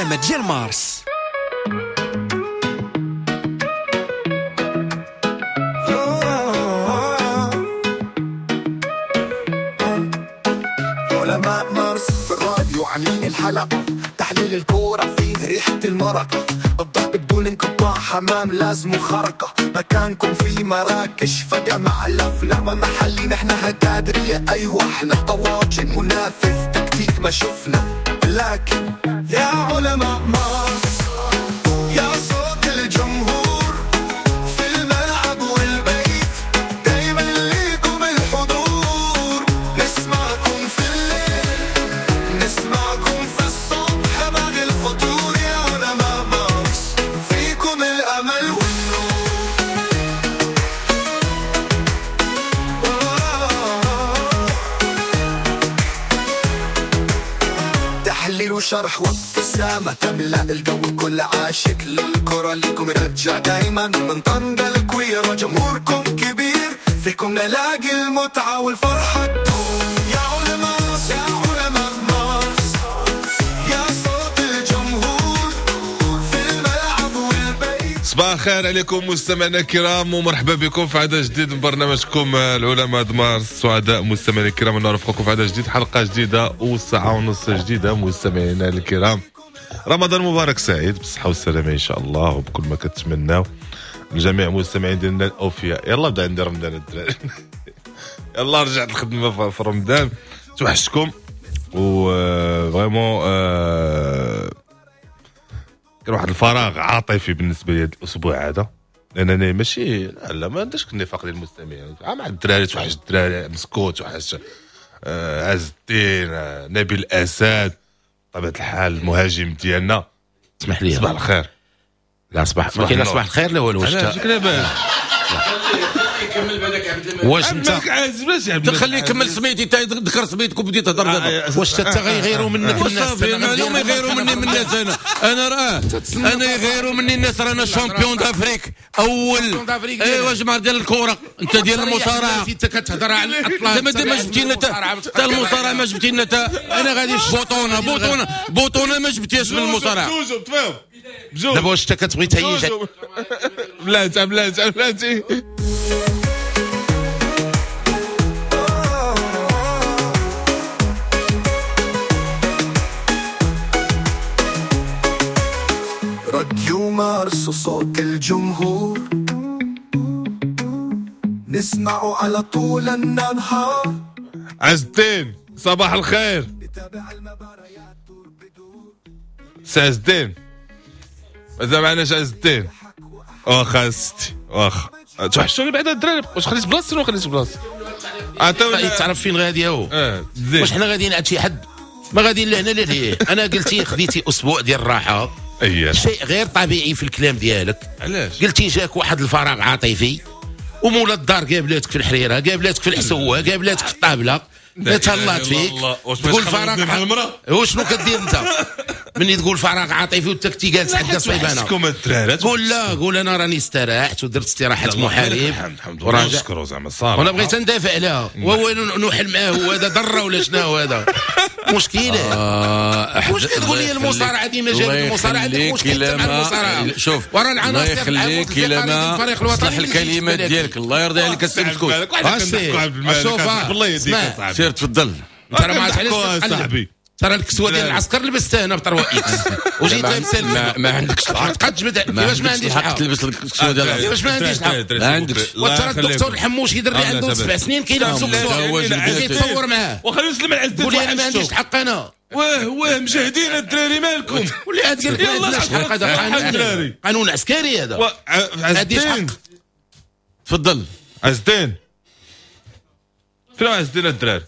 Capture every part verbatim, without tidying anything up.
العلماء ديال مارس. علماء مارس في الراديو عاملين الحلقة، تحليل الكورة فيه ريحة المرقة، الضرب بدون انقطاع، حمام لازم خرقة، مكانكم في مراكش فجأة مع الأفلام محلي، نحن هتادرية أيوة احنا طواجن منافذ تكتيك ما شفنا، لكن يا علماء مارس يا صوت الجمهور في الملعب والبيت، دايما ليكم الحضور، نسمعكم في الليل نسمعكم في الصبح بعد الفطور، يا علماء مارس فيكم الأمل والنور. تحليل وشرح وابتسامة تملأ الجو، كل عاشق للكرة ليكم رجع دايما، من طنجة الكويرة جمهوركم كبير، فيكم نلاقي المتعة والفرحة تدوم، يا علماء يا علماء مارس يا صوت الجمهور في الملعب والبيت. صباح الخير عليكم مستمعينا الكرام، ومرحبا بكم في عدد جديد من برنامجكم العلماء مارس. سعداء مستمعينا الكرام ان نرافقكم في عدد جديد، حلقة جديدة وساعة ونص جديدة. مستمعينا الكرام، رمضان مبارك سعيد بالصحة والسلامة ان شاء الله، وبكل ما كتمناو الجميع المستمعين ديالنا الاوفياء. يلا بدا عندي رمضان الدراري، يلا رجعت الخدمة في رمضان، توحشتكم و vraiment كان واحد الفراغ عاطفي بالنسبة لي هذا الاسبوع هذا، لانني ماشي لا, لا ما عنديش النفاق ديال المستمعين مع الدراري، توحش الدراري مسكوت، توحش آه عز الدين، آه نبيل الاسد، بطبيعة الحال المهاجم ديالنا. اسمح لي، صباح الخير. لا صباح ما كاين لا صباح الخير لا والو. واش لاباس؟ واش انت تخلي يكمل سميتي، تذكر سميتك وبديت تهضر دابا. واش انت غيغيروا منك الناس؟ صافي معلوم يغيروا مني من الناس. انا انا راه انا يغيروا مني الناس، رانا champion d'Afrique اول. ايوا جماعة ديال الكره، انت ديال المصارعة، انت كتهضر على الاطلال، انت ما جبتي لنا حتى المصارعة، ما جبتي لنا انا غادي بطونه بطونه بطونه ما جبتيهاش من المصارعة. دابا واش انت كتبغي تهيج؟ بلاتي بلاتي بلاتي. راديو مارس وصوت الجمهور، نسمعه على طول النهار. عز الدين صباح الخير. سي عز الدين مازال معناش عز الدين؟ واخا ستي واخا توحشوني بعدا الدراري. واش خليت بلاصتي ولا خليت بلاصتي؟ عطاوني تعرف فين غادي هو. واش حنا غاديين عند شي حد؟ ما غاديين لهنا لا لهيه. انا قلتي خديتي اسبوع ديال الراحة، أيه. شيء غير طبيعي في الكلام ديالك. علاش؟ قلتي جاك واحد الفراغ عاطفي، ومولا الدار قابلاتك في الحريره، قابلاتك في الحسوه، قابلاتك في الطابله، تهلات فيك. تقول فراغ مع المراة، وشنو كدير انت مني تقول فراغ عاطفي وانت كنتي جالس حدا صيبانه؟ قول لا، قول انا راني استراحت ودرت استراحة محارب، الحمد لله نشكرو زعما الصراحة، وانا بغيت ندافع عليها وهو نوحل معاه. هو هذا ضره ولا شنو هو هذا؟ مشكلة. مشكلة تقول لي المصارعة ديما جابت المصارعة، عندك مشكل مع المصارعة. شوف ورا العناصر يخليك الا ما صلح الكلمات ديالك، الله يرضي عليك السي مسكوت. شوف الله يهديك اصاحبي، سير تفضل. انت راه ما عرفتش علاش صاحبي، ترى الكسوة ديال العسكر لبستها هنا بطروا اكس وجيت لابس. ما عندكش الحق تبقى تجبد. كيفاش ما عنديش الحق تلبس الكسوة ديال العسكر؟ كيفاش ما عنديش الحق؟ ما عندكش. وترى الدكتور الحموشي دري عنده سبع سنين كيلبسوا كسوه كيتصور معاه، وخليه يسلم على العز. قول لي انا ما عنديش الحق انا. واه واه مجاهدين الدراري مالكم؟ واللي عاد قال لك ما عندناش الحق، هذا قانون قانون عسكري هذا. عز الدين تفضل. عز الدين فين عز الدين الدراري؟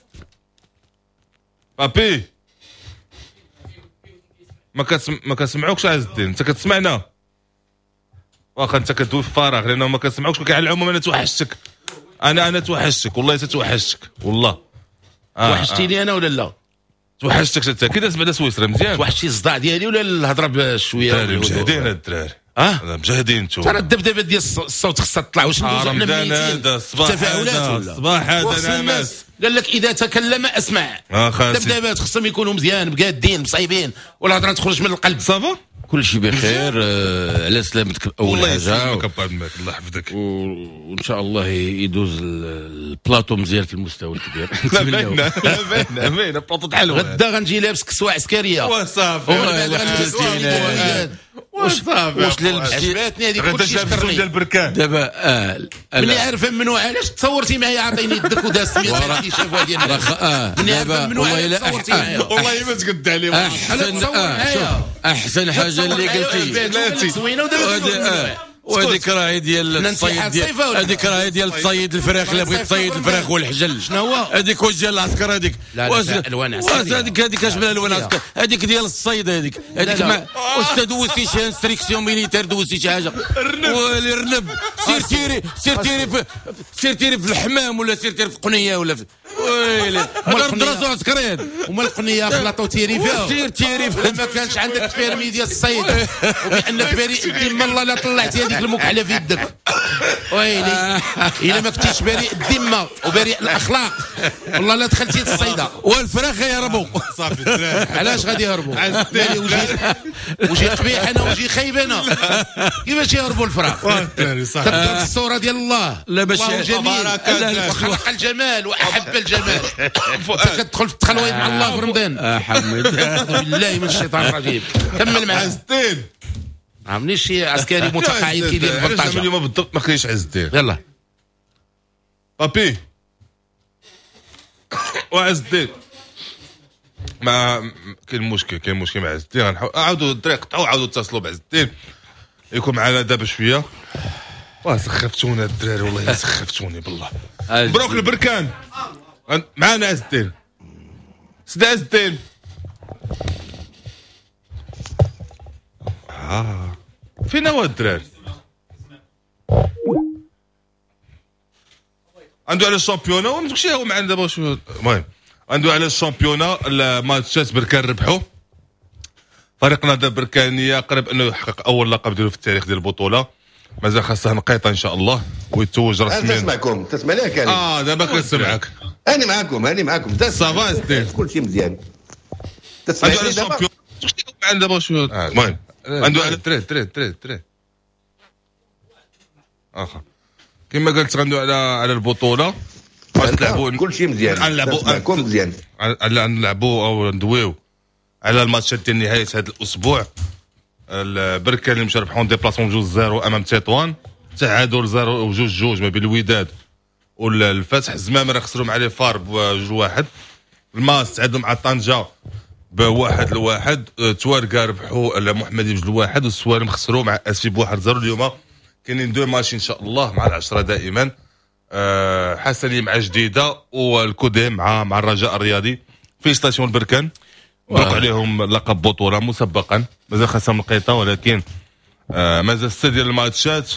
بابي ما كتسم... ما كنسمعوكش عز الدين، انت كتسمعنا؟ واخا انت كدوي في فراغ لانه ما كنسمعوكش. ولكن على العموم انا توحشتك، انا انا توحشتك والله، تتوحشتك والله. آه توحشتيني آه. انا ولا لا؟ توحشتك انت كي داز بعدا سويسرا مزيان؟ توحشتي الصداع ديالي ولا الهضرة بشوية؟ الدراري مجهدين الدراري. اه مجهدين انتم. ترى الدبدبه ديال الصوت خصها تطلع. واش ندوزو حنا ميتين التفاعلات ولا الصباح هذا نعمس. قال لك اذا تكلم اسمع. الدبدبات خصهم يكونوا مزيان بقادين مصايبين والهضره تخرج من القلب. ça va كل شيء بخير. آه على سلامتك اول الله حاجة. يسلمك ابا عبد الملك، الله يحفظك. وان شاء الله يدوز البلاطو مزيان في المستوى الكبير. لا باينة لا باينة باينة بلاطو حلو. غدا غنجي لابس كسوه عسكرية وصافي. وصافي واش لبستي عجباتني هذيك كلشي شكرني ديال البركان دابا. اه ملي عارفه منو علاش تصورتي معايا عطيني يدك وداز مية اللي شافوها ديال الناس. ملي عارفه منو علاش تصورتي معايا والله ما تقد عليه. احسن احسن حاجة اللي قلتي زوينة ودابا وهذيك راهي ديال التصيد ديال هذيك راهي ديال تصيد الفراخ. اللي بغيت تصيد الفراخ والحجل شنو هو هذيك؟ واش ديال العسكر هذيك؟ الوان عسكرية هذيك. هذيك اش من الوان عسكر هذيك؟ ديال الصيد هذيك. هذيك ما واش تدوزتي شي instruction militaire، دوزتي شي حاجة الرنب؟ سير تيري سير تيري في سير تيري في الحمام ولا سير تيري في قنيه ولا في ويلي الدراسة عسكرية. وما القنيه خلاطو تيري فيها سير تيري فيها. ما كانش عندك permis ديال الصيد وبانك بريء الذمة الله لا طلعتي هذيك المكحله في يدك. ويلي الا ما كنتيش بريء الذمة وبريء الاخلاق والله لا دخلتي للصيده والفراخ يهربوا. صافي علاش غادي يهربوا؟ مالي وجهي وجهي قبيح انا وجهي خايب انا، كيفاش يهربوا الفراخ؟ تبدا الصورة ديال الله. لا باش جميل وخلق الجمال واحب الجمال. انت كتدخل في التخلويط مع الله في رمضان. اه حمد بالله من الشيطان الرجيم. كمل معاه عز الدين. عمني شي عسكري متقاعد كيدير البلطجه اليوم بالضبط ما كاينش عز الدين. يلا بابي وعز الدين ما كاين مشكل، كاين مشكل مع عز الدين. غنحاول عاودوا الدراري قطعوا عاودوا اتصلوا بعز الدين يكون معنا دابا شوية. واه سخفتونا الدراري والله سخفتوني بالله. مبروك البركان معنا عز الدين. سيدي عز الدين اه فين هو الدراري؟ عنده على ال championnat وما تمشي هو معنا دابا. شو المهم عنده على ال championnat الماتشات بركان ربحوا. فريق نهضة بركانيه قرب انه يحقق اول لقب ديالو في التاريخ ديال البطولة. مازال خاصة نقيطه ان شاء الله ويتوج رسميا. نسمعكم تسمعني كريم؟ اه دابا كنسمعك. انا معاكم انا معاكم. ça va ستي كل شيء مزيان. تسمعني دابا؟ معنا دابا شو المهم عنده على تري تري تري تري اخر كما قلت غندو على على البطولة. غنلعبوا كل شيء مزيان. غنلعبوا مزيان. غنلعبوا او ندويو على الماتشات ديال نهاية هذا الاسبوع. البركان اللي مشى ربحوا déplacement جوج zéro امام تطوان، تعادل zéro وجوج جوج ما بين الوداد والفتح. الزمامره خسروا مع les FAR بجوج واحد. الماس تعادلوا مع طنجه بواحد لواحد. تواركا ربحوا المحمدي بجوج لواحد، والسوالم خسروا مع اسفي بواحد zéro. اليوم كاينين deux matchs ان شاء الله مع العشرة دائما. أه حسني مع جديدة والكوديم مع مع الرجاء الرياضي. félicitations البركان، مبروك عليهم لقب بطوله مسبقا. مازال خاصهم نقيطه ولكن آه مازال ستة ديال الماتشات.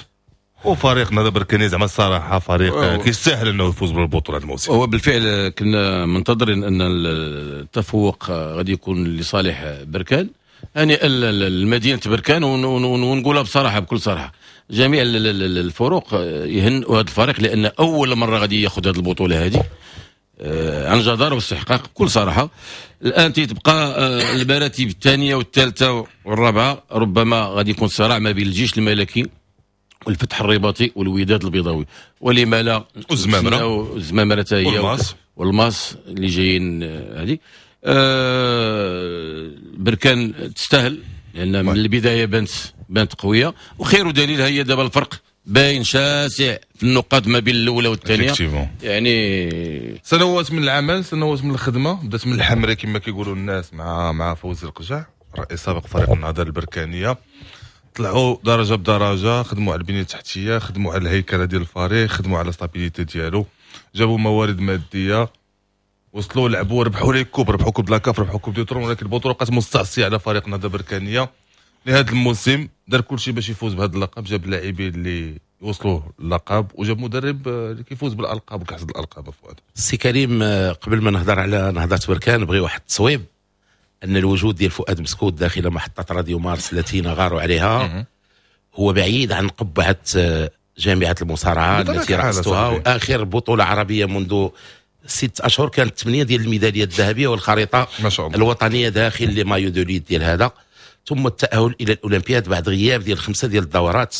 وفريق نهضة بركاني زعما الصراحة فريق كيستاهل انه يفوز بالبطولة هذا الموسم. هو بالفعل كنا منتظرين ان التفوق غادي يكون لصالح بركان. يعني المدينة بركان، ونقولها بصراحة بكل صراحة، جميع الفرق يهنئوا هذا الفريق لان اول مرة غادي ياخذ هذه البطولة هذه عن جدار واستحقاق بكل صراحة. الان تبقى المراتب الثانية والثالثة والرابعة، ربما غادي يكون صراع ما بين الجيش الملكي والفتح الرباطي والوداد البيضاوي، ولما لا والزمامره والزمامره حتى هي والماس اللي جايين هذه. أه بركان تستاهل لان من البداية بانت بانت قوية، وخير دليل هي دابا الفرق باين شاسع في النقاط ما بين الاولى والثانية. يعني سنوات من العمل، سنوات من الخدمة، بدات من الحمرة كما كيقولوا الناس مع مع فوزي القجع رئيس سابق فريق النهضة البركانيه. طلعوا درجه بدرجة، خدموا على البنية التحتية، خدموا على الهيكله ديال الفريق، خدموا على stabilité ديالو، جابوا موارد مادية، وصلوا لعبوا ربحوا les coupes، ربحوا coupe la CAF، ربحوا coupe du trône، ولكن البطولة بقات مستعصيه على فريق النهضة البركانيه. لهذا الموسم دار كل شيء باش يفوز بهذا اللقب، جاب اللاعبين اللي وصلوا اللقب وجاب مدرب اللي كيفوز بالالقاب وكيحصد الالقاب. فؤاد السي كريم، قبل ما نهضر على نهضة بركان بغي واحد التصويب ان الوجود ديال فؤاد مسكوت داخل محطة راديو مارس التي نغار عليها هو بعيد عن قبعه جامعه المصارعة التي رأستها، واخر بطوله عربية منذ ست اشهر كانت ثمانية ديال الميداليات الذهبية والخريطه ما شاء الله الوطنية داخل les maillots de lutte ديال هذا، ثم التاهل الى الاولمبياد بعد غياب ديال خمسة ديال الدورات.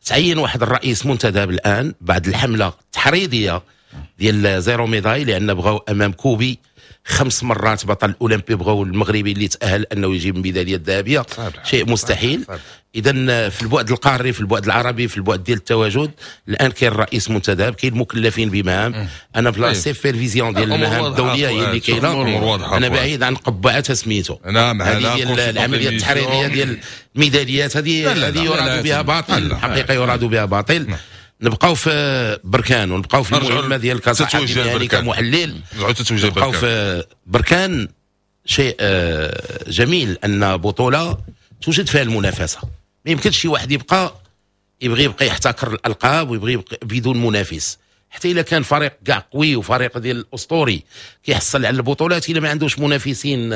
تعين واحد الرئيس منتدب الان بعد الحملة التحريضيه ديال zéro médaille، لان بغاو امام كوبي خمس مرات بطل اولمبي، بغاو المغربي اللي تاهل انه يجيب الميداليه الذهبية، شيء مستحيل. اذا في البعد القاري، في البعد العربي، في البعد ديال التواجد، الان كاين رئيس منتدب، كاين مكلفين بمهام. انا في la supervision ديال المهام الدولية هي اللي كاينه، انا بعيد عن قبعتها سميتو. نعم، هذه ديال العملية التحريرية ديال الميداليات هذه هذه يراد بها باطل، الحقيقة يراد بها باطل. نبقاو في بركان ونبقاو في المهمة ديال كصحفي يعني كمحلل، نبقاو في بركان. شيء جميل ان بطوله توجد فيها المنافسة، ما يمكنش شي واحد يبقى يبغي يبقى يحتكر الالقاب ويبغي يبقى بدون منافس، حتى الا كان فريق كاع قوي وفريق ديال الاسطوري كيحصل على البطولات، الا ما عندوش منافسين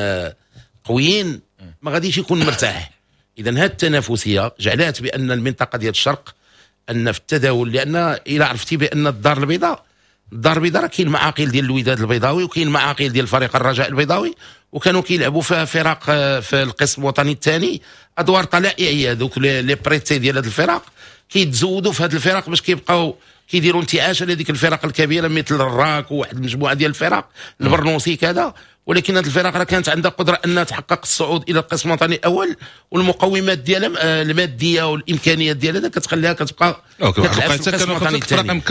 قويين ما غاديش يكون مرتاح. اذا هذه التنافسية جعلت بان المنطقة ديال الشرق ان في التداول، لان الا عرفتي بان الدار البيضاء الدار البيضاء راه كاين معاقل ديال الوداد البيضاوي وكاين معاقل ديال فريق الرجاء البيضاوي، وكانوا كيلعبوا في فرق في القسم الوطني الثاني ادوار طلائعيه، دوك les prêtés ديال هاد الفرق كيتزودوا في هاد الفرق باش كيبقاو كيديروا انتعاش لهذيك الفرق الكبيرة مثل الراك وواحد المجموعة ديال الفرق البرنوسي كذا. ولكن هذه الفرق راه كانت عندها قدره انها تحقق الصعود الى القسم الوطني الاول، والمقومات ديالها المادية والامكانيات ديالها كتخليها كتبقى كتلعب في القسم الوطني الثاني.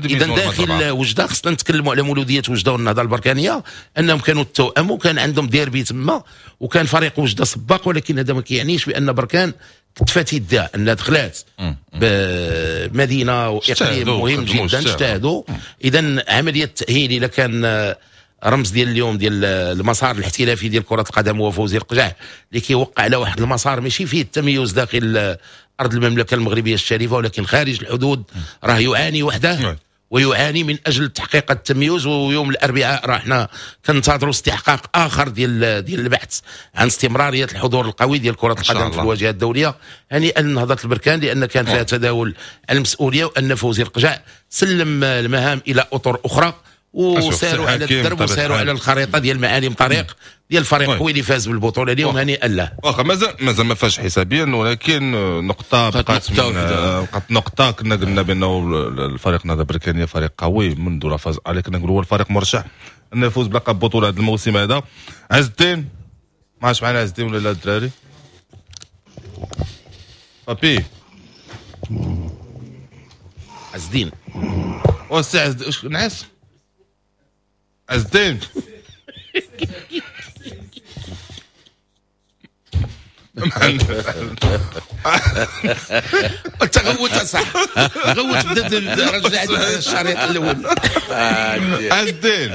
اذا داخل وجده خصنا نتكلموا على مولوديه وجده والنهضه البركانيه، انهم كانوا التوأم وكان عندهم ديربي تما، وكان فريق وجده سباق، ولكن هذا ما كيعنيش بان بركان كتفات يدها انها دخلات بمدينة واقليم مهم جدا، اجتهدوا. اذا عملية التاهيل اذا كان رمز ديال اليوم ديال المسار الاحترافي ديال كرة القدم هو فوزي القجع، اللي كيوقع على واحد المسار ماشي فيه التميز داخل أرض المملكة المغربية الشريفة، ولكن خارج الحدود راه يعاني وحده ويعاني من أجل تحقيق التميز. ويوم الأربعاء راه حنا كنتظروا استحقاق آخر ديال ديال البحث عن استمرارية الحضور القوي ديال كرة القدم في الواجهة الدولية. هنيئا لنهضة البركان لأن كان فيها تداول المسؤولية، وأن فوزي القجع سلم المهام إلى أطر أخرى وساروا على الدرب وساروا على الخريطة ديال معالم طريق ديال الفريق قوي اللي فاز بالبطولة اليوم، هنيئا له. واخا مازال مازال ما فاش حسابيا، ولكن نقطة بقات بقات نقطة. كنا قلنا بانه الفريق النهضة البركانيه فريق قوي منذ la phase aller، كنا نقولوا هو الفريق مرشح انه يفوز بلقب بطوله هذا الموسم هذا. عز الدين ما عادش معنا عز الدين ولا لا الدراري؟ بابي عز الدين وسي عز الدين نعس عز الدين انت غوت صح غوت، بدا رجع الشريط الاول. عز الدين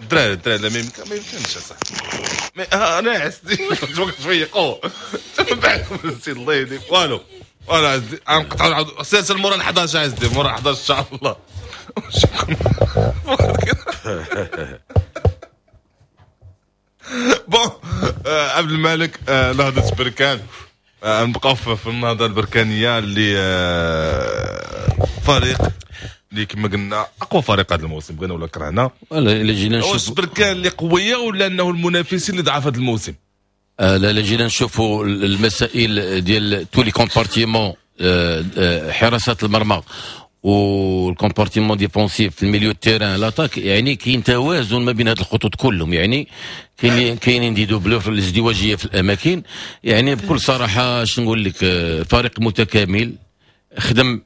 الدراري الدراري لا ما يمكنش صح، انا عز الدين تفيقوا من بعد الله يهديك والو والو. عز الدين غنقطعوا سلسل مورا الحداش عز الدين مورا الحداش ان شاء الله. bon عبد الملك، نهضة بركان، نبقاو في النهضة البركانية اللي فريق اللي كما قلنا اقوى فريق هذا الموسم، بغينا ولا كرهنا. الا جينا نشوف واش بركان اللي قوية ولا انه المنافسين اللي ضعف هذا الموسم؟ لا لا جينا نشوفوا المسائل ديال tous les compartiments، حراسة المرمى وال compartiment défensif في ال milieu terrain l'attaque، يعني كاين توازن ما بين هاد الخطوط كلهم، يعني كاين كاينين des doublures في الازدواجيه في الاماكن. يعني بكل صراحة شنو نقول لك، فريق متكامل، خدم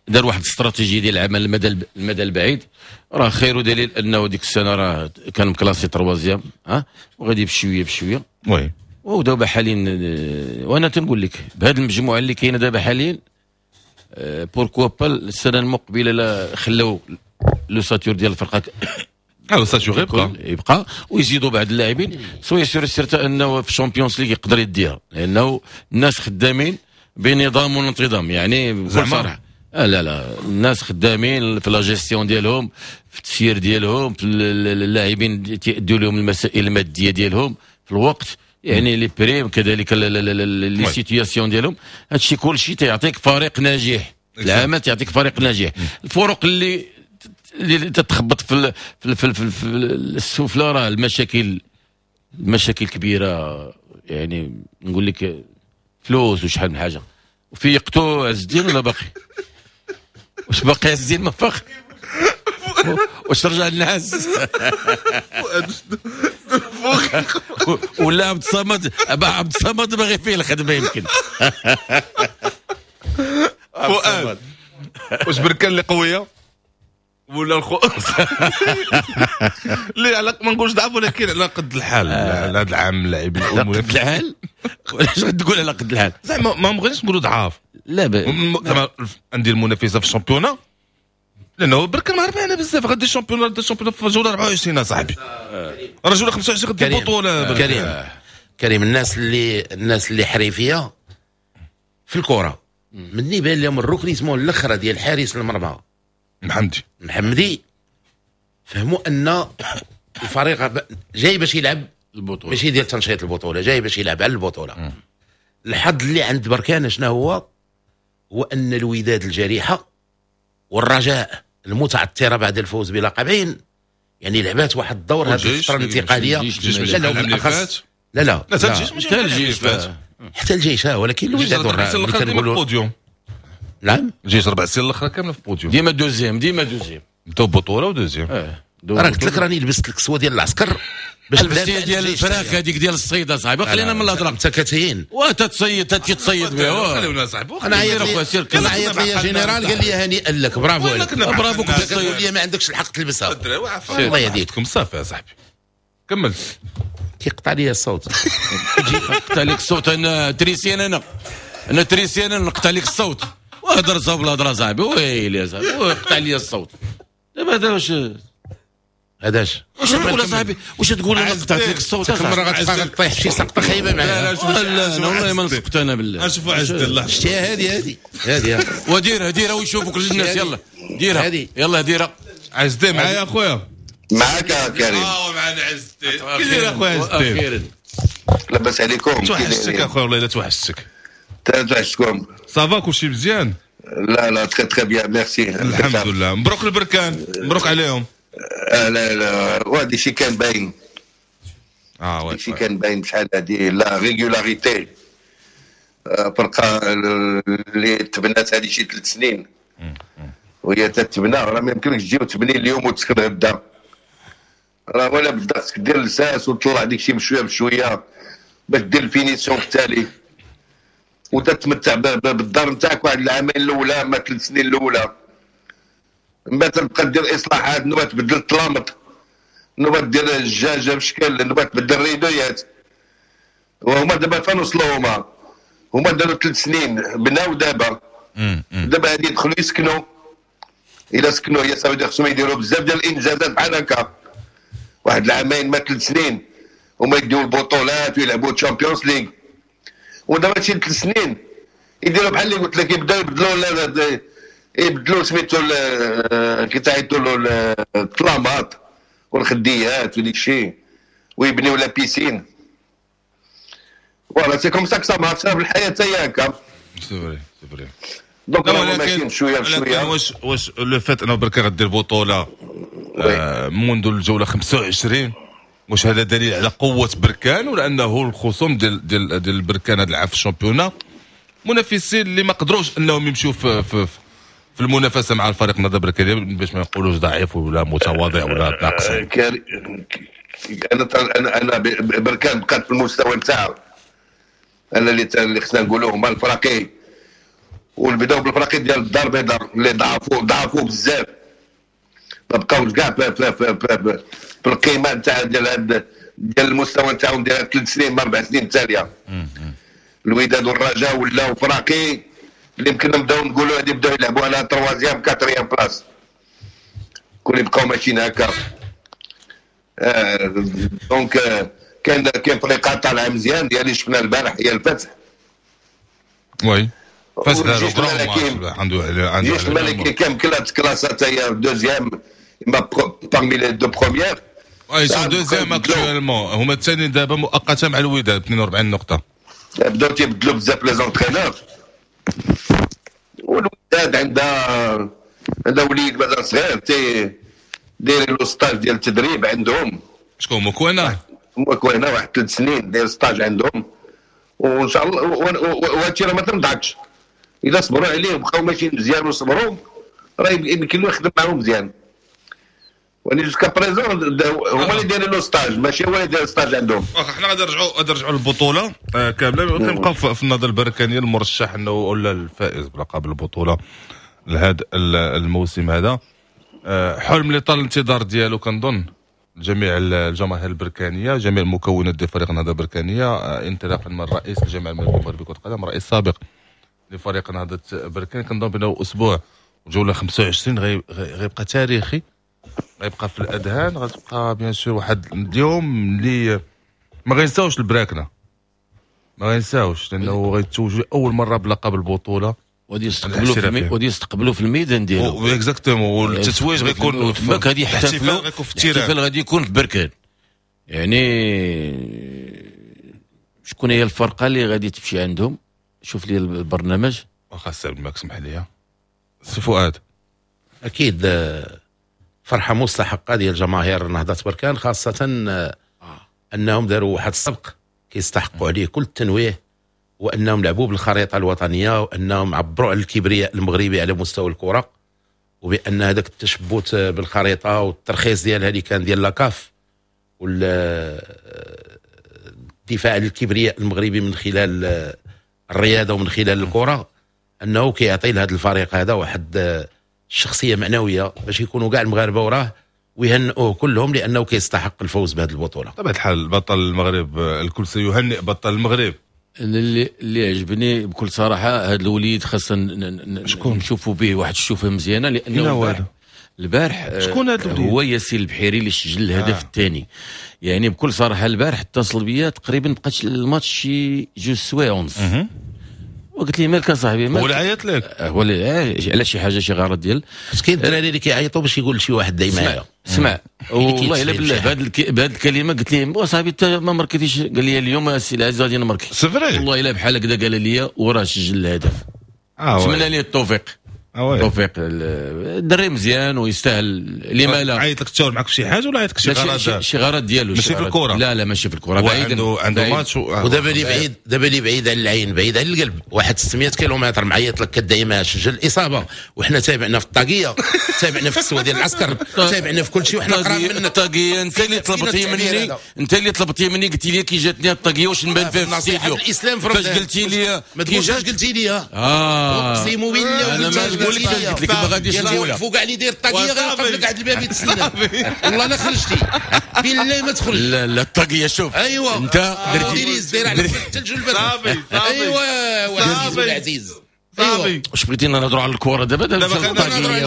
دار واحد الاستراتيجية ديال العمل المدى المدى البعيد، راه خير دليل انه ديك السنة راه كان مclassé troisième، ها وغادي بشوية بشوية oui. ودابا حاليا وانا تنقول لك بهذه المجموعة اللي كاينه دابا حاليا pourquoi pas السنة المقبلة لا خلاو l'ossature ديال الفرقة l'ossature يبقى يبقى ويزيدوا بعض اللاعبين، soyez sûr certain انه في ال Champions League يقدر يديها، لانه الناس خدامين بنظام وانتظام، يعني بكل صراحة آه لا لا الناس خدامين في la gestion ديالهم، في التسيير ديالهم، في اللاعبين تيأدوا لهم المسائل المادية ديالهم في الوقت. يعني les primes، كذلك les situations ديالهم، هادشي كلشي تيعطيك فريق ناجح. العمل تعطيك فريق ناجح. الفرق اللي اللي تتخبط في في في, في, في السفلى راه المشاكل المشاكل كبيره، يعني نقول لك فلوس وشحال من حاجه. وفيقتو عز الدين ولا باقي؟ واش باقي عز الدين ما فاق؟ واش رجع النعاس ولا عبد الصمد؟ عبد الصمد باغي فيه الخدمة يمكن. فؤاد، واش بركان اللي قوية ولا الخو اللي على ما نقولش ضعف ولكن على قد الحال هذا العام اللاعبين على قد الحال؟ علاش غتقول على قد الحال؟ زعما ما بغيناش نقولوا ضعاف، لا زعما عندي المنافسة في ال championnat، لانه بركان ما ربحنا بزاف، غادي ال championnat ال championnat في جولة أربعة وعشرين اصاحبي، راه جولة خمسة وعشرين غادي البطولة. كريم كريم الناس اللي الناس اللي حريفيه في الكره مني بان لهم ال recrutement الاخرى ديال حارس المرمى محمدي محمدي فهموا ان الفريق جاي باش يلعب البطولة، ماشي ديال تنشيط البطوله، جاي باش يلعب على البطوله. الحظ اللي عند بركان شنو هو؟ هو ان الوداد الجريحه والرجاء المتعثره بعد الفوز بلقبين يعني لعبات واحد الدور هذه الفترة الانتقالية. لا لا بالاخص لا لا لا حتى الجيش حتى الجيش، ولكن الوداد والرجاء كنقولوا نعم الجيش ربع سنين الاخرى كاملة في بوديوم، ديما deuxième، ديما deuxième، بداو بطوله و deuxième. اه راه قلت لك راني لبست الكسوة ديال العسكر باش لبستي ديال الفراخ هذيك ديال الصيد اصاحبي، خلينا من الهضرة. انت كتهين وتتصيد تتصيد بها. خليونا صاحبي. انا عيط لي انا عيط لي جنرال قال لي هنيئا لك، برافو عليك، برافو. كنت لي ما عندكش الحق تلبسها. الله يهديكم. صافي يا صاحبي كمل. كيقطع لي الصوت. قطع لك الصوت. انا تريسيان، انا انا تريسيان نقطع لك الصوت. وهضر صاحب الهضرة صاحبي، ويلي يا صاحبي وقطع لي الصوت. دابا هذا واش هذاش واش تقول اصاحبي؟ واش تقول انا قطعت لك الصوت؟ كل مرة غتبقى غطيح شي سقطه خايبة معايا. لا لا انا والله ما نسقط انا بالله. اشوفوا عز الله. شتيها هذه هذه هذه وديرها ديرها ويشوفوك الناس. يلا ديرها، يلا ديرها. عز الدين معايا اخويا؟ معاك يا كريم. اه معنا عز الدين. كي داير اخويا عز الدين؟ اخيرا لاباس عليكم؟ توحشتك اخويا والله الا توحشتك. توحشتكم. ça va كلشي مزيان؟ لا لا très très bien merci. الحمد لله. مبروك البركان، مبروك عليهم. آه لا لا وهذا شي كان باين. اه oui شي كان باين بشحال هذه la régularité، فرقه اللي تبنات هذه شي ثلاث سنين وهي تتبنى، راه ما يمكنلكش تجي وتبني اليوم وتسكن غدا، راه ولا بدا خصك دير الساس وتطلع ديك الشيء بشوية بشوية باش دير ال finition في التالي وتتمتع بالدار نتاعك واحد العامين الاولى ما ثلاث سنين الاولى. من بعد تبقى دير اصلاحات، نوبه تبدل الطلامط، نوبه دير الدجاجة بشكل، نوبه تبدل الريدويات. وهما دابا فين وصلوا؟ هما هما داروا ثلاث سنين بناو دابا دابا هادي يدخلوا يسكنوا. الا سكنوا هي صافي خصهم يديروا بزاف ديال الانجازات بحال هكا واحد العامين ما ثلاث سنين هما يديو البطولات ويلعبوا Champions League. ودابا شي ثلاث سنين يديروا بحال اللي قلت لك، يبداو يبدلوا يبدلوا سميتو كي تعيطوا له الطلامات والخديات وديك الشيء ويبنيو la piscine. voilà c'est comme ça ça marche في الحياة حتى هي هكا. c'est vrai c'est vrai. donc ماشيين شوية بشوية. واش واش le fait انه بركان غدير بطوله منذ الجولة خمسة وعشرين، واش هذا دليل على قوة بركان ولا انه الخصوم ديال ديال ديال بركان هذا العام في ال championnat منافسين اللي ما قدروش انهم يمشيو في في في المنافسة مع الفريق النهضة البركانيه باش ما نقولوش ضعيف ولا متواضع ولا ناقص؟ انا انا انا بركان بقات في المستوى نتاعو. انا اللي اللي خصنا نقولوه هما الفراقي، ونبداو بالفراقي ديال الدار البيضاء اللي ضعفوا ضعفوا بزاف، ما بقاوش كاع في, في, في, في, في القيمة نتاع ديال ديال المستوى نتاعهم ديال ثلاث سنين ما اربع سنين التالية. الوداد والرجاء ولاو فراقي اللي يمكن نبداو نقولوا هادي بداو يلعبوا على troisième quatrième place، كل يبقاو ماشيين هكا. آه donc كاين كاين فريقات طالعه مزيان ديال اللي شفنا البارح هي الفتح. oui فتح عنده عنده الجيش الملكي كان كلا تكلاسات هي deuxième parmi les deux premières. ils sont deuxièmes actuellement، هما الثانيين دابا مؤقتا مع الوداد اثنين وأربعين نقطة. بداو تيبدلوا بزاف les entraîneurs، والوداد عندها عندها وليد مازال صغير تي داير له stage ديال التدريب عندهم. شكون مكوينه؟ مكوينه واحد ثلاث سنين داير stage عندهم، وان شاء الله وهادشي راه ما تنضحكش، الا صبروا عليه وبقاو ماشيين مزيان وصبروا راه يمكن له يخدم معاهم مزيان. ولكن jusqu'à présent هما اللي دايرين له stage، ماشي هو اللي داير stage عندهم. واخا حنا غادي نرجعوا غادي نرجعوا للبطولة كاملة، ونبقاو في النهضة البركانيه المرشح انه ولا الفائز بلقب البطولة لهذا الموسم هذا. حلم اللي طال الانتظار ديالو كنظن جميع الجماهير البركانيه، جميع المكونات ديال فريق النهضة البركانيه، انطلاقا من رئيس الجامعة الملكية المغربية لكرة القدم، رئيس سابق لفريق نهضة بركان. كنظن بانه اسبوع جولة خمسة وعشرين غيبقى تاريخي، غيبقى في الاذهان، غتبقى bien sûr واحد اليوم اللي ما غينساوش البراكنه، ما غينساوش لانه غيتوجوا اول مرة بلقب البطولة، وغادي يستقبلوا في المي... وغادي يستقبلوا في الميدان ديالو exactement. والتتويج غيكون تماك، غادي يحتفلوا، الاحتفال غادي يكون في بركان. يعني شكون هي الفرقة اللي غادي تمشي عندهم؟ شوف لي البرنامج. واخا السي عبد الملك اسمح لي سي فؤاد. اكيد فرحه مستحقه ديال جماهير نهضة بركان، خاصة انهم داروا واحد السبق كيستحقوا عليه كل التنويه، وانهم لعبوا بالخريطة الوطنية، وانهم عبروا على الكبرياء المغربي على مستوى الكره، وبان هذاك التشبت بالخريطة والترخيص ديالها اللي كان ديال la CAF والدفاع على الكبرياء المغربي من خلال الرياضة ومن خلال الكره، انه كيعطي لهذا الفريق هذا واحد الشخصية معنوية باش يكونوا كاع المغاربة وراه ويهنئوه كلهم، لانه كيستحق الفوز بهذه البطولة. طبعا الحال بطل المغرب الكل سيهنئ بطل المغرب. اللي اللي عجبني بكل صراحة هذا الوليد خاصنا نشوفوا به واحد الشوفه مزيانه، لانه البارح شكون هذا الوليد؟ هو ياسين البحيري اللي سجل الهدف آه. الثاني. يعني بكل صراحة البارح اتصل بيا تقريبا بقات الماتش شي جوج سوايع ونص، وقلت لي مالك اصاحبي مالك؟ هو اللي عيط لك؟ هو اللي على شي حاجة شي غرض ديال بس كاين الدراري اللي كيعيطوا باش يقول شي واحد داي معايا. اسمع والله الا بالله بهذه بهذه الكلمة قلت لي وصاحبي انت ما مركتيش، قال لي اليوم السي العزيز غادي نمركي. c'est vrai والله الا بحال هكذا قال لي وراه سجل الهدف. نتمنى ليه التوفيق. التوفيق الدري مزيان ويستاهل. لما لا عيط لك تشاور معك في شي حاجة ولا عيط لك شي غرض؟ شي غرض ديالو ماشي في الكره. لا لا ماشي في الكره، بعيد عنده عنده ماتش. ودابا اللي بعيد دابا اللي بعيد على العين بعيد على القلب، واحد ستمية كيلومتر معيط لك كدعي ما سجل الاصابة، وحنا تابعنا في الطاقية، تابعنا في السوا ديال العسكر، تابعنا في كل شيء، وحنا قراب منك. الطاقية انت اللي طلبتي مني، انت اللي طلبتي مني قلتي لي كي جاتني الطاقية واش نبان فيها في الاستديو. فاش قلتي لي ما تقولش قلتي لي اه اقسم بالله قلت لك قلت لك ما غاديش نقولها. فوق علي داير الطاقية غيوقف لك عند الباب يتسنى. والله لا خرجتي بالله ما تخرج. لا لا الطاقية شوف ايوا انت درتي داير على الثلج والبرد. صافي صافي ايوا العزيز صافي. واش بغيتينا نهضروا على الكره دابا؟ دابا الطاقية لا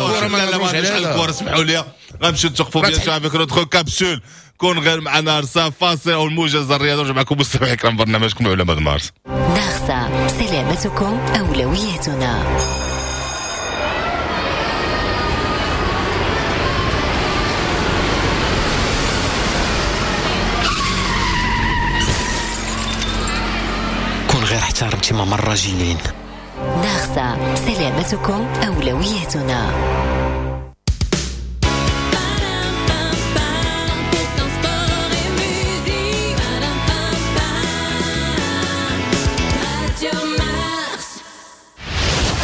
لا ما نهضروش على الكره، اسمحوا لي غنمشيو نتوقفوا bien sûr avec notre capsule. كون غير مع نارسا فاصل او الموجز الرياضي. نرجع معكم مستمعي الكرام برنامجكم علماء مارس. نارسا سلامتكم اولويتنا. كون غير احترمتي ماما الراجلين. نارسا سلامتكم أولويتنا.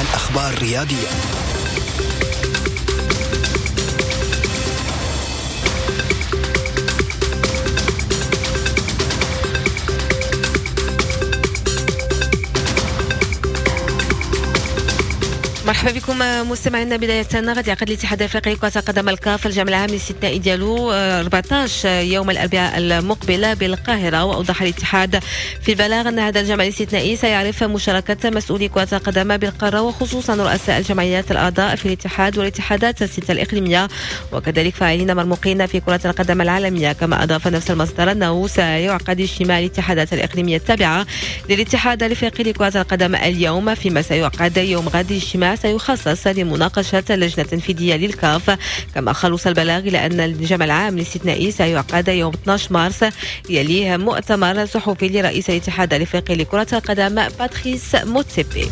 الأخبار الرياضية. مرحبا بكم مستمعينا. بداية غادي يعقد الاتحاد الافريقي لكرة القدم الكاف الجمع العام الاستثنائي ديالو أربعة عشر يوم الاربعاء المقبلة بالقاهرة. واوضح الاتحاد في البلاغ ان هذا الجمع الاستثنائي سيعرف مشاركة مسؤولي كرة القدم بالقارة، وخصوصا رؤساء الجمعيات الاعضاء في الاتحاد والاتحادات الستة الاقليمية، وكذلك فاعلين مرموقين في كرة القدم العالمية. كما اضاف نفس المصدر انه سيعقد اجتماع الاتحادات الاقليمية التابعة للاتحاد الافريقي لكرة القدم اليوم، فيما سيعقد يوم غد اجتماع سيخصص سيخصص لمناقشة اللجنة التنفيذية للكاف. كما خلص البلاغ إلى أن الجمع العام الاستثنائي سيعقد يوم اثني عشر مارس، يليه مؤتمر صحفي لرئيس الاتحاد الافريقي لكرة القدم باتريس موتسيبي.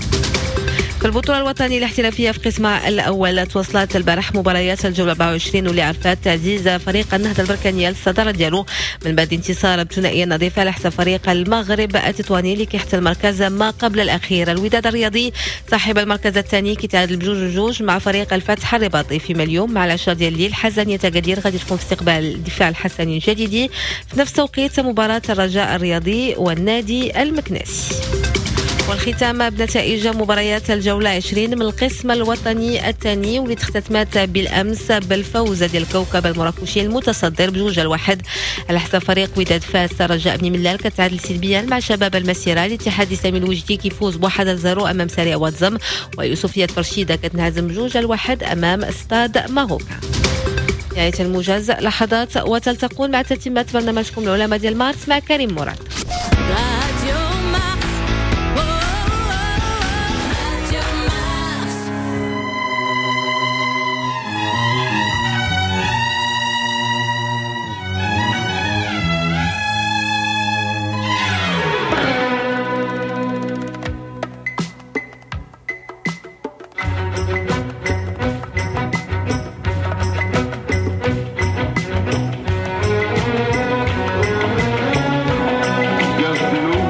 في البطولة الوطنية الاحترافية في قسمها الأول تواصلت البارح مباريات الجولة أربعة وعشرين واللي عرفت تعزيز فريق النهضة البركانية للصدارة ديالو من بعد انتصار بثنائية نظيفة على حساب فريق المغرب التطواني اللي كيحتل المركز ما قبل الأخير. الوداد الرياضي صاحب المركز الثاني كيتعادل بجوج جوج مع فريق الفتح الرباطي. فيما اليوم مع العشرة ديال الليل حسنية أكادير غادي تكون في استقبال الدفاع الحسني الجديدي. في نفس توقيت مباراة الرجاء الرياضي والنادي المكناسي. والختام بنتائج مباريات الجولة عشرين من القسم الوطني الثاني واللي اختتمت بالأمس بالفوز ديال الكوكب المراكشي المتصدر بجوج الواحد على حساب فريق وداد فاس. رجاء بني ملال كتعادل سلبيا مع شباب المسيرة. الاتحاد الإسلامي الوجدي كيفوز بواحد لزيرو أمام سريع واتزم، ويوسفية فرشيدة كتنهزم بجوج الواحد أمام ستاد ماروكا. نهاية الموجز لحظات وتلتقون مع تتمة برنامجكم العلماء ديال مارس مع كريم مراد. Bienvenue.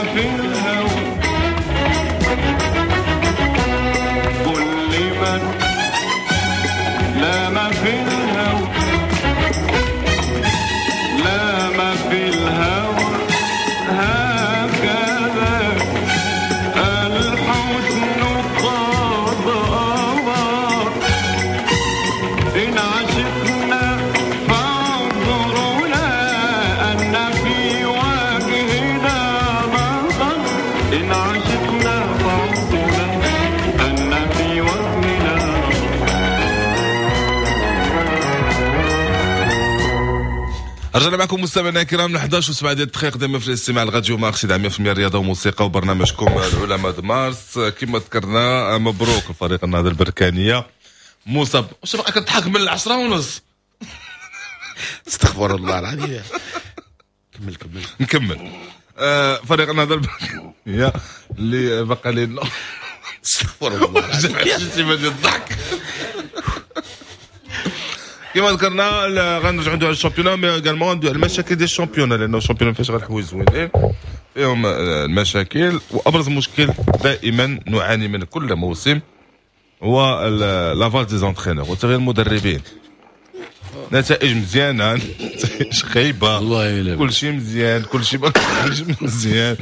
ما في الهوى قل لمن لا ما في الهوى لا ما في الهوى هكذا الحسن قد أمر إن عشقنا فانظرونا أن في وجهنا نظر إن عشقنا فانظرونا أن في وجهنا. رجعنا معكم مستمعينا الكرام احد عشر وسبعة ديال الدقائق دائما في الاستماع لراديو مارس مية بالمية رياضة وموسيقى وبرنامجكم العلماء مارس. كما ذكرنا مبروك الفريق النهضة البركانيه مصاب. واش باقي كتضحك من العشرة ونص؟ استغفر الله العظيم. كمل كمل نكمل. آه فريق النهضة البركانيه اللي بقى لنا استغفر الله العظيم ديال الضحك. كما ذكرنا غنرجعوا ندويو على ال championnat mais également ندويو على المشاكل ديال ال championnat، لانه ال championnat ما فيهاش غير الحوايج زوينين، فيهم المشاكل. وابرز مشكل دائما نعاني منه كل موسم هو la valse des entraîneurs وتغيير المدربين. نتائج مزيانه، نتائج خايبة، كل شيء مزيان، كل شيء مزيان.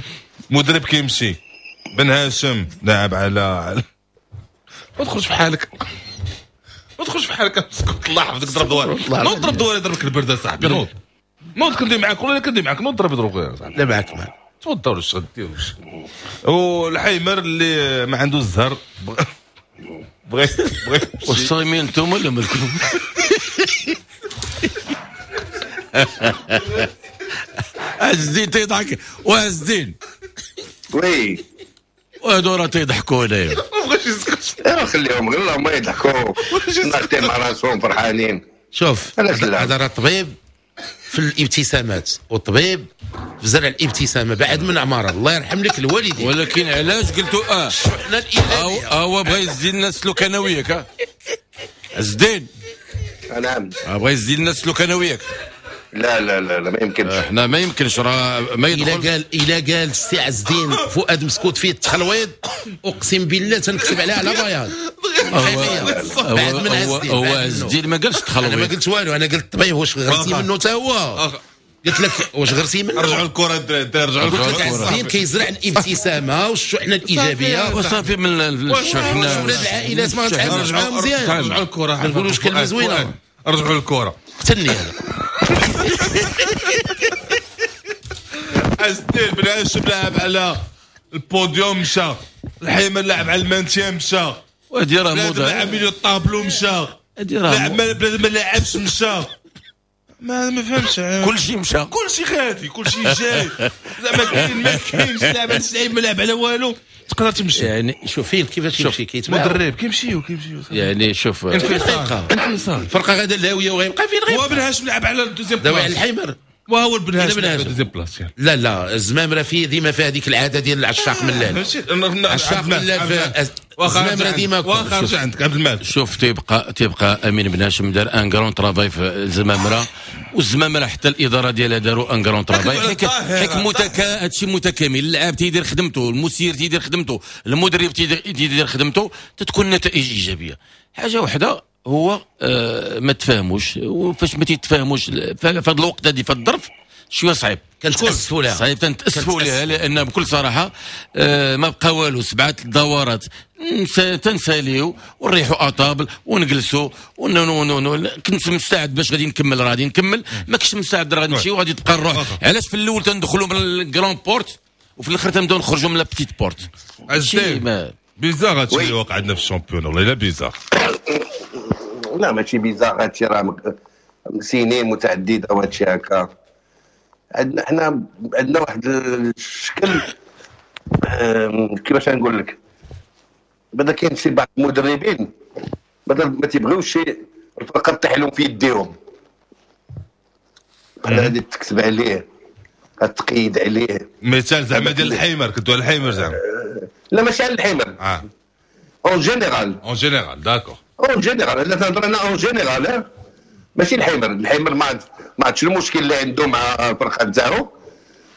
مدرب كيمشي، بن هاشم لاعب على ما تخرج في حالك، ما تخرج في حالك، اسكت الله يحفظك. ضرب دوالي، نوض ضرب دوالي، ضربك البرد اصاحبي. نوض نوض كندي معاك ولا كندي معاك، نوض ضرب ضرب يا صاحبي. لا معاك معاك تفضل. واش غدير؟ والحيمر اللي ما عنده الزهر بغيت بغيت. واش صايمين انتم ولا مالكم؟ عز الدين تيضحك وعز الدين oui وهادو راه تيضحكوا هنايا. ما بغاش يسكت. ايوا خليهم غير هما يضحكوا ناطين مع راسهم فرحانين. شوف هذا راه طبيب في الابتسامات وطبيب في زرع الابتسامة بعد من عمارة. الله يرحم لك الوالدين. ولكن علاش قلتوا اه حنا الايجابية؟ هو بغى يزيد لنا السلوك انا وياك. عز الدين نعم بغى يزيد لنا السلوك انا وياك. لا لا لا لا ما يمكنش. احنا ما يمكنش راه ما يدخل. الا قال الا قال السي عز الدين فؤاد مسكوت فيه التخلويض اقسم بالله تنكتب عليها على بياض. بعد من عز الدين. هو عز الدين ما قالش التخلويض. انا ما قلت والو، انا قلت الطبيب واش غرسي منه حتى هو. قلت لك واش غرسي منه. رجعوا الكره الدراري، رجعوا الكره. قلت لك عز الدين كيزرع الابتسامة والشحنه الايجابية وصافي من الشحنة. ولاد العائلات ما غتعاملوش معاهم مزيان. رجعوا الكره، ما نقولوش كلمة زوينة. رجعوا الكره. قتلني انا. عز الدين بن هاشم لعب على البوديوم مشى، الحيمر لعب على ال maintien مشى، وهادي راه موضة. لعب milieu tableau مشى، لعب بلاد ما لعبش مشى. ما ما فهمتش. كلشي مشى، كلشي غادي، كلشي جاي. زعما كاين ما كاينش لعب لعب ما لعب على والو تقدر تمشي. يعني شوف فين كيفاش يمشي كيتباع مدرب كيمشيو كيمشيو يعني شوف انفصال انفصال الفرقة غادا الهاوية وغيبقى فين غيبقى. هو بن هاشم لعب على ال deuxième place، داوي على الحيمر. وهو بن هاشم لعب على ال deuxième place. لا لا الزمامره فيه ديما فيها هذيك العادة ديال العشاق ملال. عشاق ملال الزمامره ديما. واخا رجع عندك عبد المالك. شوف تيبقى تيبقى امين بن هاشم دار un grand travail في الزمامره، والزمامره حتى الادارة ديالها داروا un grand travail. حيت متكا هادشي متكامل، اللاعب تيدير خدمته، المسير تيدير خدمته، المدرب تيدير خدمته، تتكون نتائج ايجابية. حاجة وحده هو آه ما تفاهموش، وفاش ما تيتفاهموش في هذا الوقت هذه في الظرف شوية صعيب. كنتاسفوا لها، صعيب تنتاسفوا لها، لان بكل صراحة آه ما بقى والو. سبعة الدورات تنساليو ونريحوا à table ونجلسوا ون كنت مستعد باش غادي نكمل، غادي نكمل، ما كنتش مستعد راه غادي نمشي وغادي تبقى الروح. علاش في الاول تندخلوا من ال grande porte وفي الاخر تنبداو نخرجوا من la petite porte؟ bizarre هادشي اللي واقع عندنا في ال championnat، والله الا bizarre. لا ماشي bizarre هادشي، راه سنين متعددة وهادشي هكا. عندنا حنا عندنا واحد الشكل كيفاش نقول لك، بدا كاين شي بعض المدربين بدا ما تيبغيوش شي الفرقة تطيح لهم في يديهم، بحال غادي تكتب عليه تقيد عليه. مثال زعما ديال الحيمر، كنتو على الحيمر زعما؟ لا ماشي على الحيمر، اه en général. en général d'accord، en général لا تهضر انا en général ماشي الحيمر. الحيمر ما ما عرفتش المشكل اللي عنده مع الفرقة نتاعو،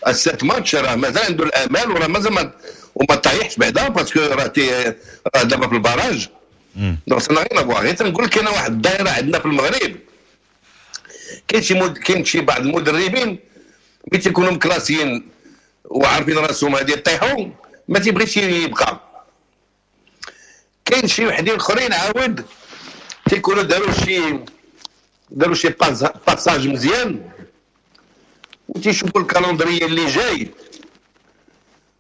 ال sept matchs راه مازال عنده الامال، وراه مازال ما وما طايحش بعدا parce que راه راه دابا في ال barrage. donc ça n'a rien à voir. غير تنقول لك كاينه واحد الدائرة عندنا في المغرب، كاين شي مد... كاين شي بعض المدربين ملي تيكونوا مكلاسيين وعارفين راسهم غادي يطيحوا ما تيبغيش يبقى. كاين شي وحدين اخرين عاود تيكونوا داروا شي داروا شي passage مزيان وتيشوفوا ال calendrier اللي جاي،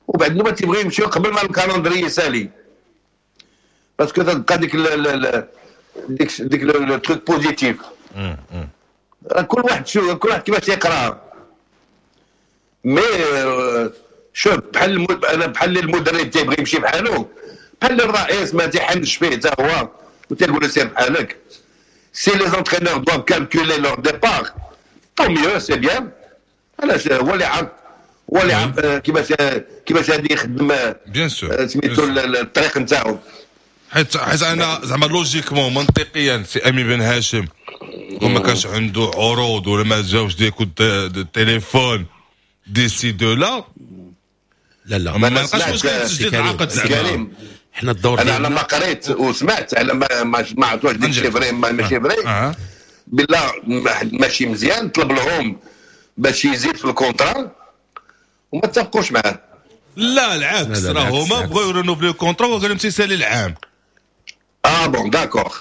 وبعد ما تيبغيو يمشيو قبل ما ال calendrier يسالي، parce que تبقى ديك ال ديك ديك le truc positif. كل واحد شو كل واحد كيفاش يقرا. mais شوف بحال المد... انا بحال المدرب تيبغي يمشي بحالو، بحال الرئيس ما تيحنش فيه حتى هو وتيقول له سير بحالك. si les entraîneurs doivent calculer leur départ tant mieux, c'est bien. علاش هو اللي عارف، هو اللي عارف كيفاش كيفاش غادي يخدم bien sûr سميتو الطريق نتاعو. حيت حيت انا زعما logiquement منطقيا سي امين بن هاشم وما كانش عنده عروض ولا ما جاوش des coups de téléphone d'ici de là، لا لا ما لقاش مشكل تجديد العقد زعما. حنا الدور انا على ما قريت وسمعت، على ما ما, ما عرفتش ديك الشيء vrai ماشي vrai، أه. بالله ماشي مزيان، طلب لهم باش يزيد في ال contrat وما اتفقوش معاه. لا العكس، راه هما بغاو ي renouveler ال contrat وقال لهم تيسالي العام. اه bon d'accord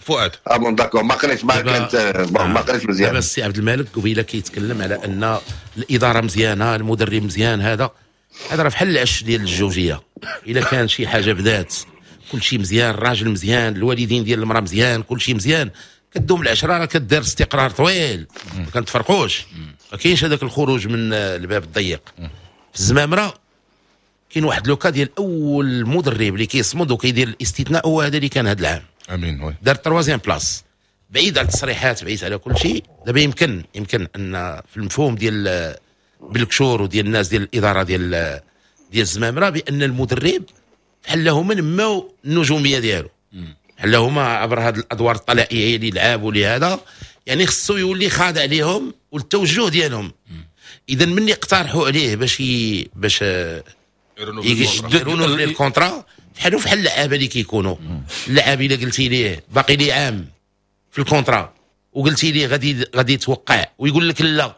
فؤاد. اه bon d'accord، ما قريتش ما كانت bon ما قريتش مزيان. دابا السي عبد الملك قبيلة كيتكلم على ان الادارة مزيانه، المدرب مزيان، هذا هذا راه بحال العش ديال الزوجيه، الا كان شي حاجة بدات كل شيء مزيان، الراجل مزيان، الوالدين ديال المراة مزيان، كل شيء مزيان، كدوم العشرة راه كدير استقرار طويل، ما كنتفرقوش، ما كاينش هذاك الخروج من الباب الضيق. في الزمامره كاين واحد le cas ديال اول مدرب اللي كيصمد وكيدير الاستثناء، هو هذا اللي كان هذا العام. امين oui. دار troisième place، بعيد على التصريحات، بعيد على كل شيء. دابا يمكن يمكن ان في المفهوم ديال بالكشور وديال الناس ديال الادارة ديال ديال الزمامره بان المدرب بحال هما نماو النجومية ديالو، بحال هما عبر هذه الادوار الطلائعيه اللي لعبوا لهذا، يعني خصو يولي خاضع لهم والتوجه ديالهم. اذا مني اقترحوا عليه باش ي... باش يرونوفلي ال contrat، بحالو بحال اللعابه اللي كيكونوا اللعاب الا قلتي ليه باقي لي عام في ال contrat وقلتي ليه غادي غادي توقع ويقول لك لا،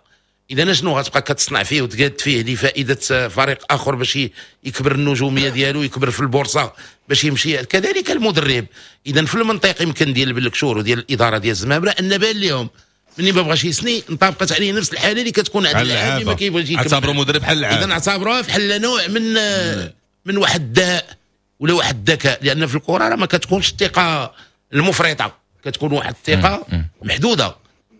اذا شنو غتبقى كتصنع فيه وتقاد فيه لفائدة فريق اخر باش يكبر النجومية ديالو، يكبر في البورصة باش يمشي. كذلك المدرب اذا في المنطق يمكن ديال بلكشور وديال الادارة ديال الزمامره ان بان لهم مني ما بغاش يسني انطبقت عليه نفس الحالة اللي كتكون عند اللاعب اللي ما كيبغيش يكمل. اعتبروا مدرب بحال اللاعب، اذا اعتبروها بحال نوع من من واحد الداء ولا واحد الذكاء، لان في الكره راه ما كتكونش الثقة المفرطة، كتكون واحد الثقة محدودة.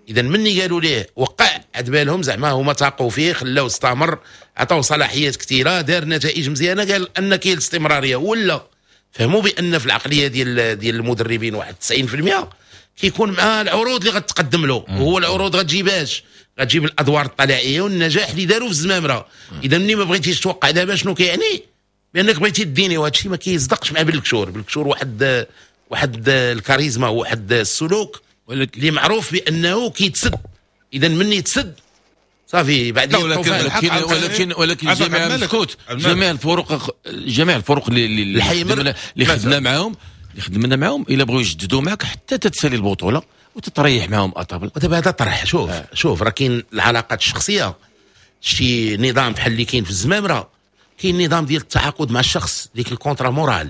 اذا مني قالوا ليه وقع عاد بالهم زعما هما تاقوا فيه، خلاو استمر، عطاو صلاحيات كثيرة، دار نتائج مزيانه، قال ان كاين الاستمرارية. ولا فهموا بان في العقلية ديال ديال المدربين واحد تسعين بالمية كيكون مع العروض اللي غتقدم له، وهو العروض غتجيباش، غتجيب الادوار الطلائعيه والنجاح اللي داروا في الزمامره. اذا مني ما بغيتيش توقع دابا شنو كيعني؟ بانك بغيتي ديني، وهذا الشيء ما كيصدقش مع بالكشور. بالكشور واحد واحد الكاريزما وواحد السلوك اللي معروف بانه كيتسد، اذا مني يتسد صافي بعد. ولكن ولكن ولكن ولكن جميع مسكوت، جميع الفرق جميع الفرق اللي اللي اللي خدمنا معاهم اللي خدمنا معاهم الا بغاو يجددوا معك حتى تتسالي البطولة وتتريح معاهم à table. ودابا هذا طرح، شوف آه. شوف راه كاين العلاقات الشخصية، شي نظام بحال اللي كاين في الزمامره، كاين نظام ديال التعاقد مع الشخص، ديك ال contrat moral.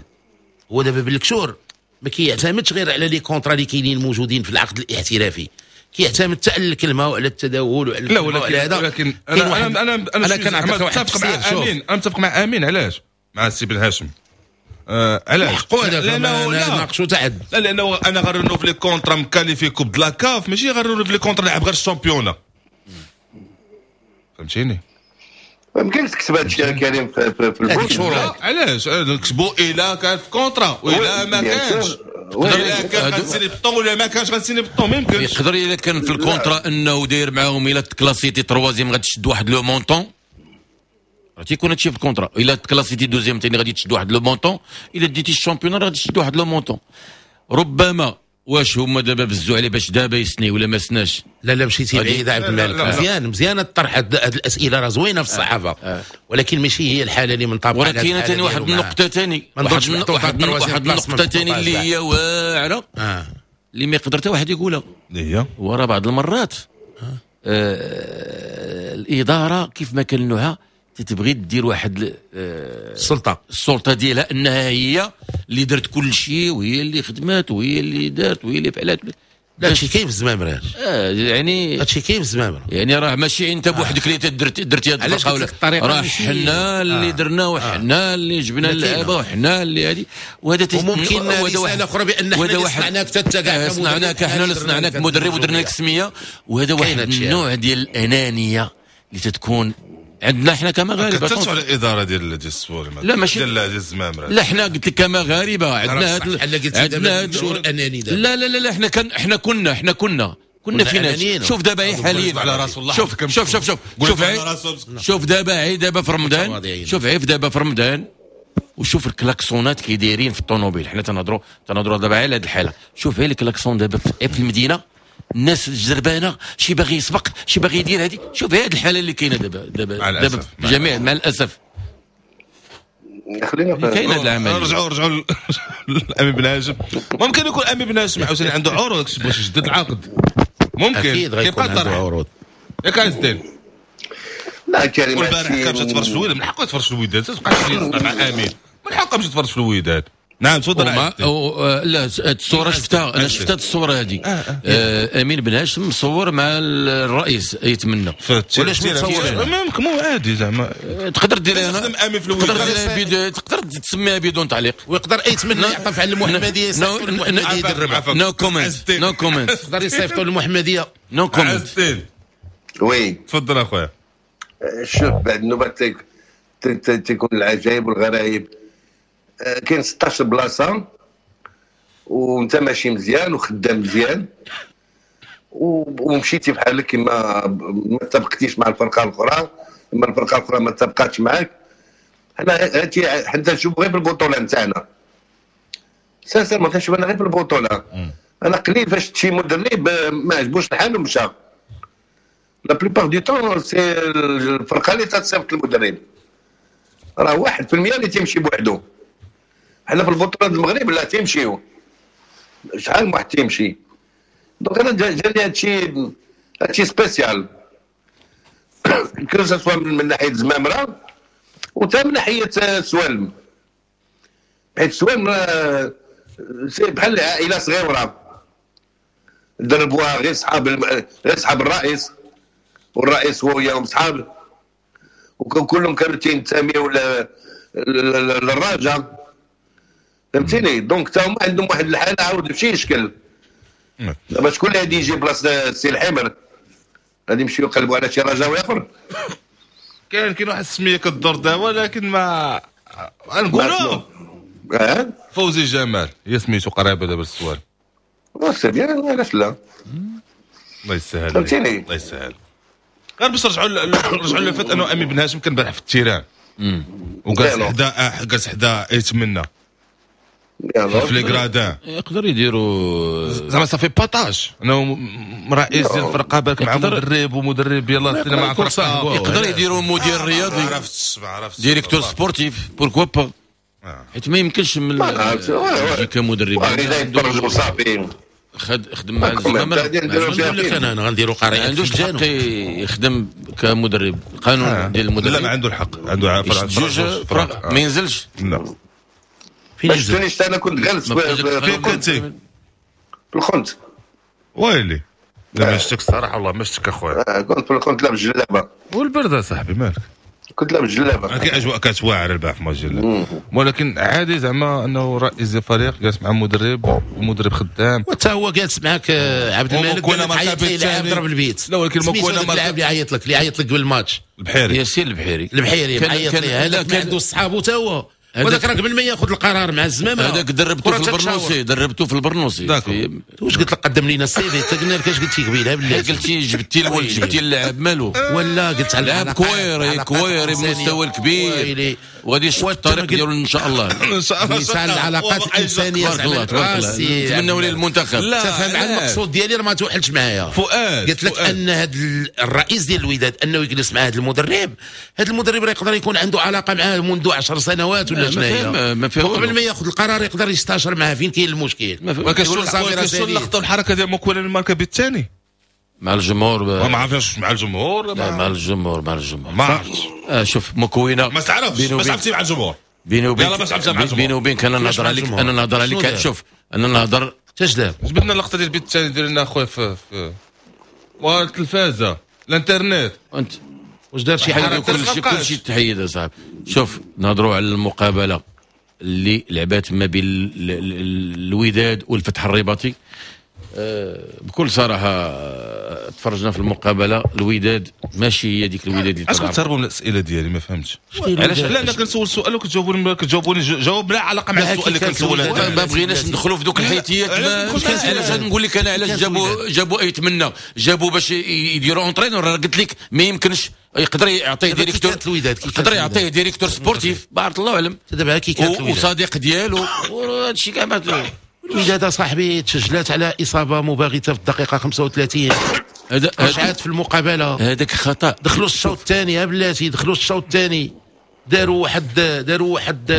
هو دابا بالكشور ما كيعتمدش غير على les contrats اللي كاينين موجودين في العقد الاحترافي، كيعتمد حتى على الكلمة وعلى التداول وعلى لا ولكن هذا. ولكن انا انا انا انا, أنا كنعطيك واحد متفق مع امين، انا متفق مع امين. علاش مع السي بن هاشم؟ آه علاش؟ لانه لا ناقشوا تعد، لا لانه انا غير renouveler contrat م qualifié coupe de la CAF، ماشي غير renouveler contrat لعب غير ال championnat، فهمتيني؟ ما يمكنش تكتب هذا الشيء كريم في, في, في البوت. علاش نكتبوا الا كان في contrat ولا ما كانش، الا كان غنسيني بالطون ولا ما كانش غنسيني بالطون، ما يمكنش. يقدر الا كان في ال contrat انه داير معاهم الا تكلاسيتي troisième غتشد واحد le montant، راه تيكون هادشي في ال contrat. الا تكلاسيتي deuxième ثاني غادي تشد واحد le montant، الا ديتي ال championnat غادي تشد واحد le montant. ربما واش هما دابا بزوا عليه باش دابا يسني ولا ما سناش؟ لا لا مشيتي بعيد عبد الملك. مزيان مزيان الطرح، هاد الاسئلة راه زوينة في الصحافة، آه. ولكن ماشي هي الحالة اللي منطبقه. ولكن ثاني واحد النقطة ثاني، واحد واحد النقطة ثاني اللي هي واعرة، آه. اللي ما يقدر حتى واحد يقولها، اللي هي ورا بعض المرات آه. آه الادارة كيف ما كان نوعها تتبغي دير واحد السلطة السلطة ديالها انها هي اللي درت كل شيء وهي اللي خدمات وهي اللي دارت وهي اللي فعلت. لا هادشي كاين في الزمامره، اه يعني هادشي كاين في الزمامره، يعني راه ماشي انت بوحدك اللي درتي درتي هاد الفرقة، راه حنا اللي آه. درنا وحنا اللي جبنا اللعابه وحنا اللي هادي، وهذا وممكن رسالة اخرى بان حنا اللي صنعناك حتى كاع صنعناك، حنا اللي صنعناك مدرب ودرنا لك سميه. وهذا واحد النوع ديال الانانية اللي تتكون عندنا حنا كمغاربه. كثرتوا على الادارة ديال ديال السوالم، لا ماشي ديال ديال الزمامره، لا حنا قلت لك كمغاربه عندنا هذا بحال قلت دابا شعور اناني. لا لا لا لا حنا كان حنا كنا حنا كنا كنا فينا. شوف دابا هي حاليا على راس الله، شوف شوف شوف شوف شوف شوف دابا هي دابا في رمضان، شوف عيف دابا في رمضان وشوف الكلاكسونات كي دايرين في الطوموبيل. حنا تنهضروا تنهضروا دابا على هذه الحالة. شوف غير الكلاكسون دابا في المدينة، الناس الجربانه، شي باغي يسبق شي باغي يدير هذه. شوف هذه الحالة اللي كاينه دابا دابا دابا جميع مع الاسف. خلينا كاين هذا العمل. رجعوا رجعوا لامين بن هاشم. ممكن يكون امين بن هاشم عاوتاني عنده عروض باش يجدد العقد، ممكن اكيد غيكون عنده عروض. ياك عز الدين؟ لا كريم، والبارح كان مشى تفرج في الوداد، من حقه يتفرج في الوداد، تبقاش مع امين، من حقه مشى يتفرج في الوداد. نعم تفضل. لا الصورة شفتها انا، شفت الصورة هذه. آه امين بن هاشم مصور مع الرئيس يتمنى. ولاش متصور؟ ممكن مو عادي زعما، تقدر ديرها انا امين في الوداد، تقدر ديرها تقدر تسميها بدون تعليق، ويقدر يتمنى يعطف على المحمدية، يصيفطوا المحمدية يدربها. no comment no comment، يقدر يصيفطوا المحمدية. no comment. oui تفضل اخويا. شوف بعد النوبات تيكون العجائب والغرائب. كاين ستاش بلاصة وانت ماشي مزيان وخدام مزيان ومشيتي بحالك كما ما اتفقتيش مع الفرقة الاخرى، اما الفرقة الاخرى ما اتفقاتش معاك. حنا هادشي حنا تنشوف غير في البطولة نتاعنا، sincèrement تنشوف انا غير في البطولة. انا قليل فاش شي مدرب ما عجبوش الحال ومشى. la plupart du temps c'est الفرقة اللي تتصيفط المدرب، راه واحد في المية اللي تيمشي بوحدو. حنا في البطولة المغرب لا تيمشيو شحال من واحد تيمشي. donc انا جاني هادشي هادشي spécial، que ce soit من ناحية زمامرة وتا من ناحية سوالم، حيت سوالم c'est بحال عائلة صغيرة دربوها غير صحاب غير صحاب الرئيس، والرئيس هو وياهم صحاب، وكلهم كانوا تينتميو للرجاء، فهمتيني؟ donc تا هما عندهم واحد الحالة عاود بشي شكل. دابا شكون اللي غادي يجي بلاصة السي الحمر؟ غادي يمشيو يقلبوا على شي رجاوي اخر. كاين كاين واحد السمية كدور دابا، ولكن ما غنقولوا اه فوزي جمال هي سميتو قريبه دابا للسؤال. c'est bien، علاش لا؟ الله يسهل، فهمتيني؟ الله يسهل. غير باش نرجعوا نرجعوا لفات انه امين بن هاشم كان البارح في ال terrain وجالس حدا جالس حدا يتمنى في les gradins، يقدر يديروا زعما صافي باتاج انه رئيس ديال الفرقة بالك مع مدرب ومدرب يلاه سينا مع فرقه، يقدر يديروا مدير رياضي، عرفت عرفت directeur sportif pourquoi pas، حيت ما يمكنش من يجي كمدرب يتفرجوا صافي. خد خدم مع الزمامرة، انا انا غنديروا قرية، ما عندوش الحق يخدم كمدرب، القانون ديال المدرب لا ما عنده الحق، عنده جوج فرق ما ينزلش. لا ما شفتونيش انا كنت جالس فين كنتي؟ في الخنت. ويلي لا ما شفتك الصراحة، والله ما شفتك اخويا. كنت في الخنت لابس جلابه والبرد اصاحبي مالك؟ كنت لابس جلابه. كاين اجواء كانت واعرة البارح في ماتش جلابه، ولكن عادي زعما انه رئيس الفريق جالس مع مدرب ومدرب خدام، وحتى هو جالس معاك عبد الملك عيط ليه لاعب ضرب البيت. لا ولكن مكونا اللاعب اللي عيط لك اللي عيط لك قبل الماتش البحيري، ياسين البحيري، البحيري عيط ليه هذاك عنده صحابو حتى هو. وهذاك راه قبل ما ياخذ القرار مع الزمام هذاك دربته في البرنوسي، دربته في البرنوسي. واش قلت لك قدم لنا ال CV؟ قلنا لك اش قلتي قبيلة بالله؟ قلتي جبتي الولد، جبتي اللاعب مالو ولا قلت على لاعب كويري كويري بمستوى الكبير وغادي يشق الطريق ديالو ان شاء الله. ان شاء الله مثال العلاقات الانسانية. تبارك الله تبارك الله، نتمنوا ليه المنتخب. تفهم على المقصود ديالي راه ما توحلش معايا فؤاد. قلت لك ان هذا الرئيس ديال الوداد انه يجلس مع هذا المدرب، هذا المدرب راه يقدر يكون عنده علاقة معاه منذ عشر سنوات ولا شنو هي، وقبل ما ياخذ القرار يقدر يستشر معاه فين كاين المشكل. ما كاينش اللقطة والحركة ديال موكوينا الماركة بالثاني مع الجمهور، ما عرفناش مع الجمهور. لا مع الجمهور، مع الجمهور ما عرفتش. آه شوف موكوينا ما تعرفش، ما تعرفتي مع الجمهور. بيني وبين بيني وبينك انا نهضر عليك، انا نهضر عليك. شوف انا نهضر اش دار؟ جبدنا اللقطة ديال البيت الثاني دير لنا اخويا في في التلفازه الانترنت. انت واش دار شي حاجة؟ كلشي كلشي تحيد اصاحبي. شوف نهضروا على المقابلة اللي لعبات ما بين الوداد والفتح الرباطي. بكل صراحة تفرجنا في المقابلة، الوداد ماشي هي ديك الوداد اللي علاش كتهربوا من الاسئلة ديالي؟ ما فهمتش علاش. لا انا كنسول سؤال وكتجاوبوني كتجاوبوني جواب لا علاقة مع السؤال اللي كنسول. ما بغيناش ندخلوا في دوك الحيتيات. علاش نقول لك انا علاش جابوا جابوا ايتمنى جابوا باش يديروا entraîneur. قلت لك ما يمكنش يقدر يعطيه directeur، يقدر يعطيه directeur sportif بارك الله اعلم دابا كي كانت وصديق ديالو وهذا الشيء كاع. ما الوداد صاحبي تسجلات على اصابه مباغته في الدقيقة خمسة وثلاثين، رجعات في المقابلة. هذاك خطا. دخلوا الشوط الثاني بلاتي، دخلوا الشوط الثاني داروا واحد داروا واحد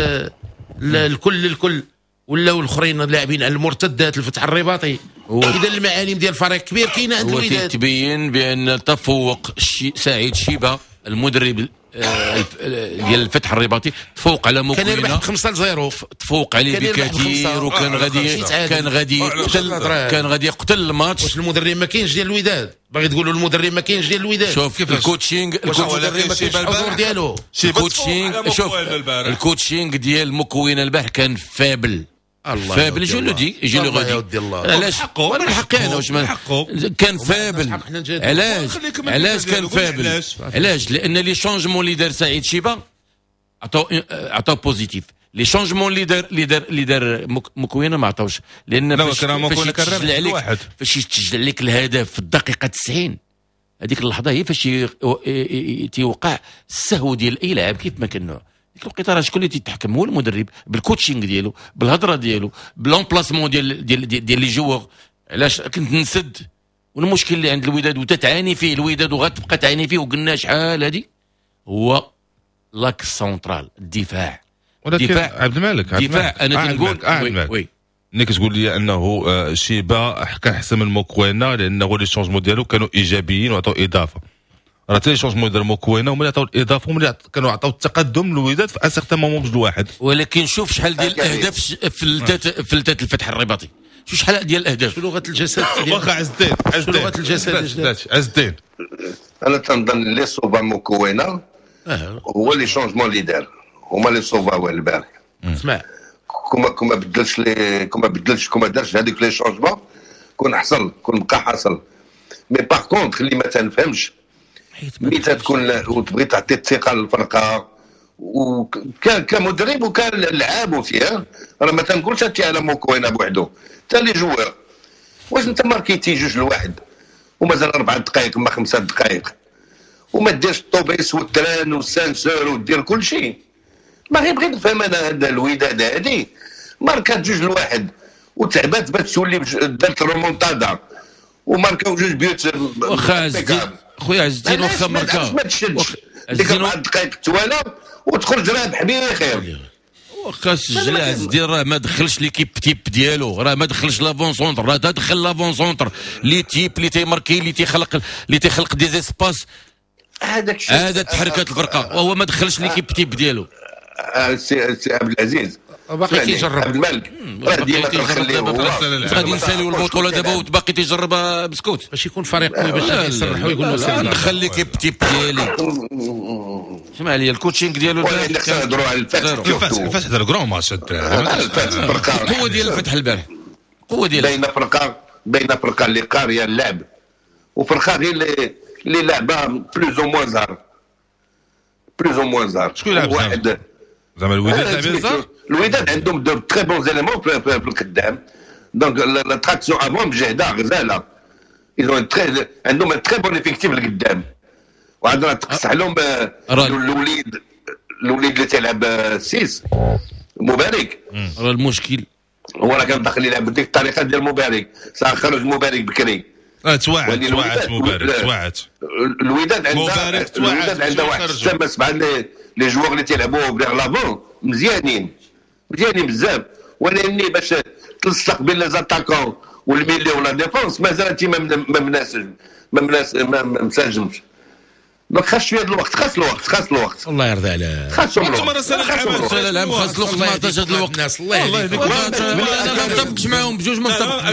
الكل الكل ولاو الاخرين لاعبين على المرتدات الفتح الرباطي. اذا المعالم ديال الفريق كبير كاينه عند الوداد. تبين بان تفوق سعيد شيبة المدرب ديال الفتح الرباطي، تفوق على موكوينا، كان يربح خمسة لصفر، تفوق عليه بكثير، وكان غادي كان غادي يقتل كان غادي يقتل الماتش. واش المدرب ما كاينش ديال الوداد؟ باغي تقولوا المدرب ما كاينش ديال الوداد؟ شوف ال coaching، المدرب ما كاينش الحضور ديالو. ال coaching، شوف ال coaching ديال موكوينا البارح كان faible faible. je le dis je le redis. علاش؟ وانا من حقي انا واش كان faible. علاش علاش كان faible؟ علاش؟ لان les changements اللي دار سعيد شيبة عطاو عطاو positif. les changements اللي دار اللي دار اللي دار موكوينا ما عطاوش، لان فاش يتسجل عليك فاش يتسجل عليك الهدف في الدقيقة تسعين، هذيك اللحظة هي فاش تيوقع السهو ديال اي لاعب كيف ما كان نوع. ديك الوقيته راه شكون اللي تيتحكم؟ هو المدرب بال coaching ديالو، بالهضره ديالو، ب l'emplacement ديال ديال ديال les joueurs. علاش كنت نسد؟ والمشكل اللي عند الوداد وتتعاني فيه الوداد وغتبقى تعاني فيه وقلنا شحال هادي هو l'axe central الدفاع. ولكن عبد الملك عبد الدفاع انا تنقول oui oui ملي كتقول لي انه شيبة كان احسن من موكوينا لانه les changements ديالو كانوا ايجابيين وعطوا اضافه. راه حتى les changements ديال موكوينا هما اللي عطاو الاضافة، هما اللي كانوا عطاو التقدم للوداد في un certain moment بجوج واحد. ولكن شوف شحال ديال الاهداف فلتات فلتات الفتح الرباطي، شوف شحال ديال الاهداف. لغة الجسد واخا عز الدين عز الدين لغة الجسد عز الدين. انا تنظن اللي sauva موكوينا هو les changements اللي دار، هما اللي sauva البارح. اسمع كما كما بدلش les كما بدلش كما دارش هذيك les changements كون حصل كون بقى حصل. mais par contre اللي ما تنفهمش ملي تكون وتبغي تعطي الثقة للفرقة وكان كمدرب وكان لعاب فيها، راه ما تنقولش هادشي على موكوينا بوحدو، حتى les joueurs. واش انت ماركيتي جوج لواحد ومازال اربع دقائق ما خمسة دقائق وما ديرش الطوبيس وال train وال ascenseur ودير كل شيء؟ ما غير بغيت نفهم انا هذا الوداد هادي ماركات جوج لواحد وتعبات باش تولي دارت رومونتادا وماركاو جوج بيوت. واخا عز الدين خويا عز الدين واخا ماركا ما تشدش ديك اربع دقائق التواله وتخرج رابح بخير. واخا سجل عز الدين راه ما دخلش l'équipe type ديالو، راه ما دخلش l'avant-centre، راه دخل l'avant-centre les types اللي تيماركي اللي تيخلق اللي تيخلق des espaces. هذاك الشيء هذا تحركات الفرقة وهو ما دخلش l'équipe type ديالو. سي سي عبد العزيز باقي كيجرب عبد الملك راه ديما تنخليه غادي نساليو البطولة دابا وتباقي تيجرب بسكوت باش يكون فريق قوي باش يصرحوا يقولوا لا ندخل l'équipe type ديالي. اسمع لي ال coaching ديالو نهضروا على الفتح. الفتح الفتح دار grand match الفتح القوة ديال الفتح البارح القوة ديال بين فرقه بين فرقه اللي قارية اللعب وفرقه غير اللي اللي لعبه plus ou moins زهر plus ou moins زهر. شكون لعب واحد زعما الوداد لعب الزهر. الوداد عندهم de très bons éléments في القدام، donc la traction avant مجهده غزاله، ils ont très عندهم très bon effectif القدام، وعندنا تقصح لهم الوليد الوليد اللي تيلعب six مبارك. راه المشكل هو راه كان داخل يلعب بديك الطريقة ديال مبارك، ساعة خرج مبارك بكري. اه توعت توعت مبارك توعت. الوداد عندها الوداد عندها واحد ستة سبعة les joueurs اللي تيلعبوا vers l'avant مزيانين مزيانين بزاف، ولكن باش تلصق بين les attaquants وال milieu و la défense مازال انت ما مناسج ما ما مساجمش. donc خاص شوية الوقت، خاص الوقت، خاص الوقت. الله يرضي عليك. خاص الوقت. سنة العام خاص الوقت، ما عطاش هذا الوقت. الله يهديك. انا ما متفقش معاهم بجوج، ما متفقش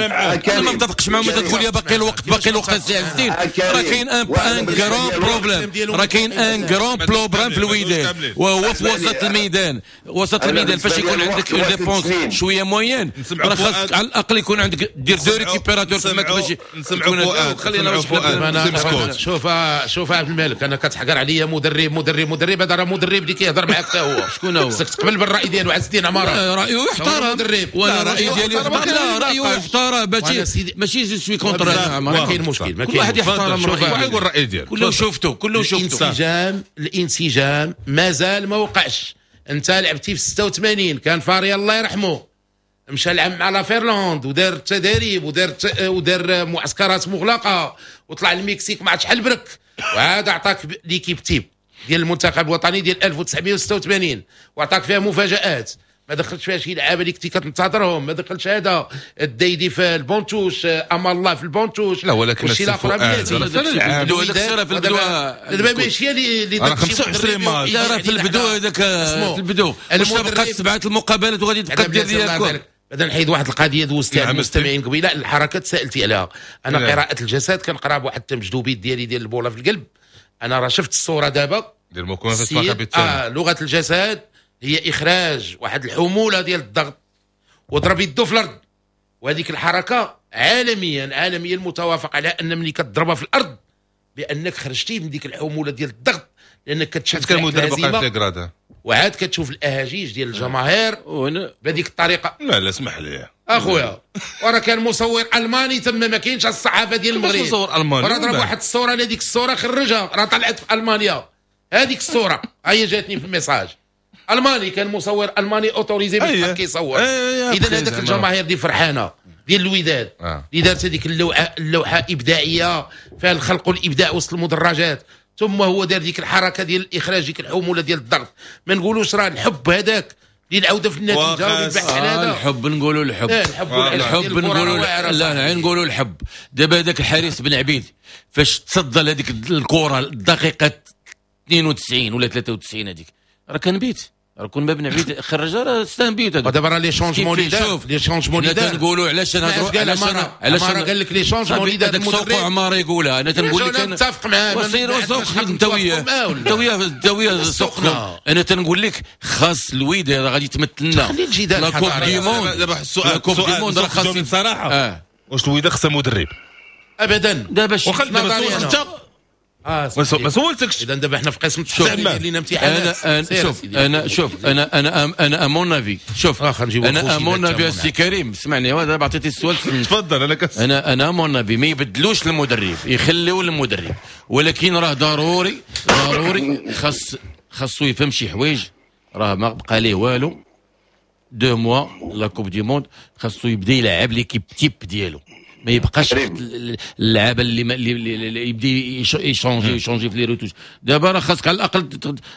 انا ما متفقش معاهم. انت تقول لي باقي الوقت باقي الوقت السي عز الدين، راه كاين un un grand problème، راه كاين un grand problème في الوداد، وهو في وسط الميدان. وسط الميدان فاش يكون عندك une défense شوية moyenne، راه خاصك على الاقل يكون عندك دير deux récupérateurs تماك باش نسمعوا. خلينا شوف شوف عبد الملك، انا كتحقر عليا مدرب مدرب مدرب، هذا راه مدرب اللي كيهضر معاك حتى هو. شكون هو؟ خصك تقبل بالراي ديالو عز الدين عمارة. رايه يحترم، وانا الراي ديالي يحترم. لا رايه يحترم، ماشي ماشي je suis contre. ما كاين مشكل، ما كل واحد يحترم رايه، واحد يقول الراي ديالو. كله شفته كله شفته. الانسجام الانسجام مازال ما وقعش. انت لعبتي في ستة وثمانين، كان فاريا الله يرحمه مشى لعب مع la Finlande ودار التدريب ودار ودار معسكرات مغلقة وطلع المكسيك ما عرفتش شحال برك، وهذا عطاك l'équipe type ديال المنتخب الوطني ديال ألف وتسعمية وستة وثمانين، وعطاك فيها مفاجآت، ما دخلتش فيها شي لعابه اللي كنتي كتنتظرهم، ما دخلتش هذا الدايدي في ال banc de touche، اما الله في ال banc de touche. لا ولكن الشيء الاخر في البدو دابا ماشي اللي راه خمسة وعشرين ماتش. لا راه في البدو هذاك في البدو واش بقات سبعة المقابلات وغادي تبقى دير ليا. بعدا نحيد واحد القضية دوزتها المستمعين قبيلة، الحركة تسالتي عليها. انا نعم. قراءة الجسد كنقرا بواحد التمجدوبيت ديالي ديال البوله في القلب. انا راه شفت الصورة دابا ديال موكونا في آه لغة الجسد هي اخراج واحد الحمولة ديال الضغط وضرب يدو في الارض، وهذيك الحركة عالميا عالميا متوافق على ان ملي كتضربها في الارض بانك خرجتي من ديك الحمولة ديال الضغط، لانك كتشوف المدرب وعاد كتشوف الاهاجيج ديال الجماهير بهذيك الطريقة. لا لا اسمح لي اخويا، وراه كان مصور الماني تما، ما كاينش الصحافة ديال المغرب مصور الماني، وراه ضرب واحد الصورة، انا ديك الصورة خرجها راه طلعت في المانيا، هذيك الصورة هي جاتني في ال message. الماني كان مصور الماني autorisé باش كيصور. اذا هذاك الجماهير دي فرحانة ديال الوداد اللي دارت هذيك اللوحة، اللوحة ابداعية فيها الخلق والابداع وسط المدرجات، ثم هو دار ديك الحركة ديال الاخراج ديك الحمولة ديال الضغط. ما نقولوش راه الحب هذاك اللي العودة في النتيجة والبحث على هذا. الحب نقولوا الحب، الحب, الحب نقولوا لا لا نقولوا الحب. دابا هذاك الحارس بن عبيد فاش تصدى لهذيك الكره الدقيقة اثنين وتسعين ولا ثلاثة وتسعين، هذيك راه كان بيت، راه كون ما بن عبيد خرجها راه c'est un but. هذا دابا راه les changements اللي دار، les changements اللي دار تنقولوا علاش نهضروا، علاش علاش قال لك les changements اللي دار المدرب سوق عمار يقولها. انا تنقول لك انا متفق معاه، وسير سوق انت وياه انت وياه انت وياه سوقنا. انا تنقول لك خاص الوداد راه غادي تمثلنا la Coupe du Monde. دابا السؤال Coupe du Monde راه خاص بصراحة، واش الوداد خصها مدرب؟ ابدا. دابا انت اه ما سولتكش. اذا دابا حنا في قسم التحليل لينا امتحانات. انا شوف انا شوف انا انا انا à mon avis، شوف انا à mon avis السي كريم اسمعني، دابا عطيتي السؤال تفضل. انا كس انا انا à mon avis ما يبدلوش المدرب، يخليو المدرب، ولكن راه ضروري ضروري خاص خاصو يفهم شي حوايج، راه ما بقى ليه والو deux mois la Coupe du Monde، خاصو يبدا يلعب l'équipe type ديالو، ما يبقاش اللعابه اللي, اللي يبدا يشونجي يشونجي في les retouches. دابا راه خاصك على الاقل،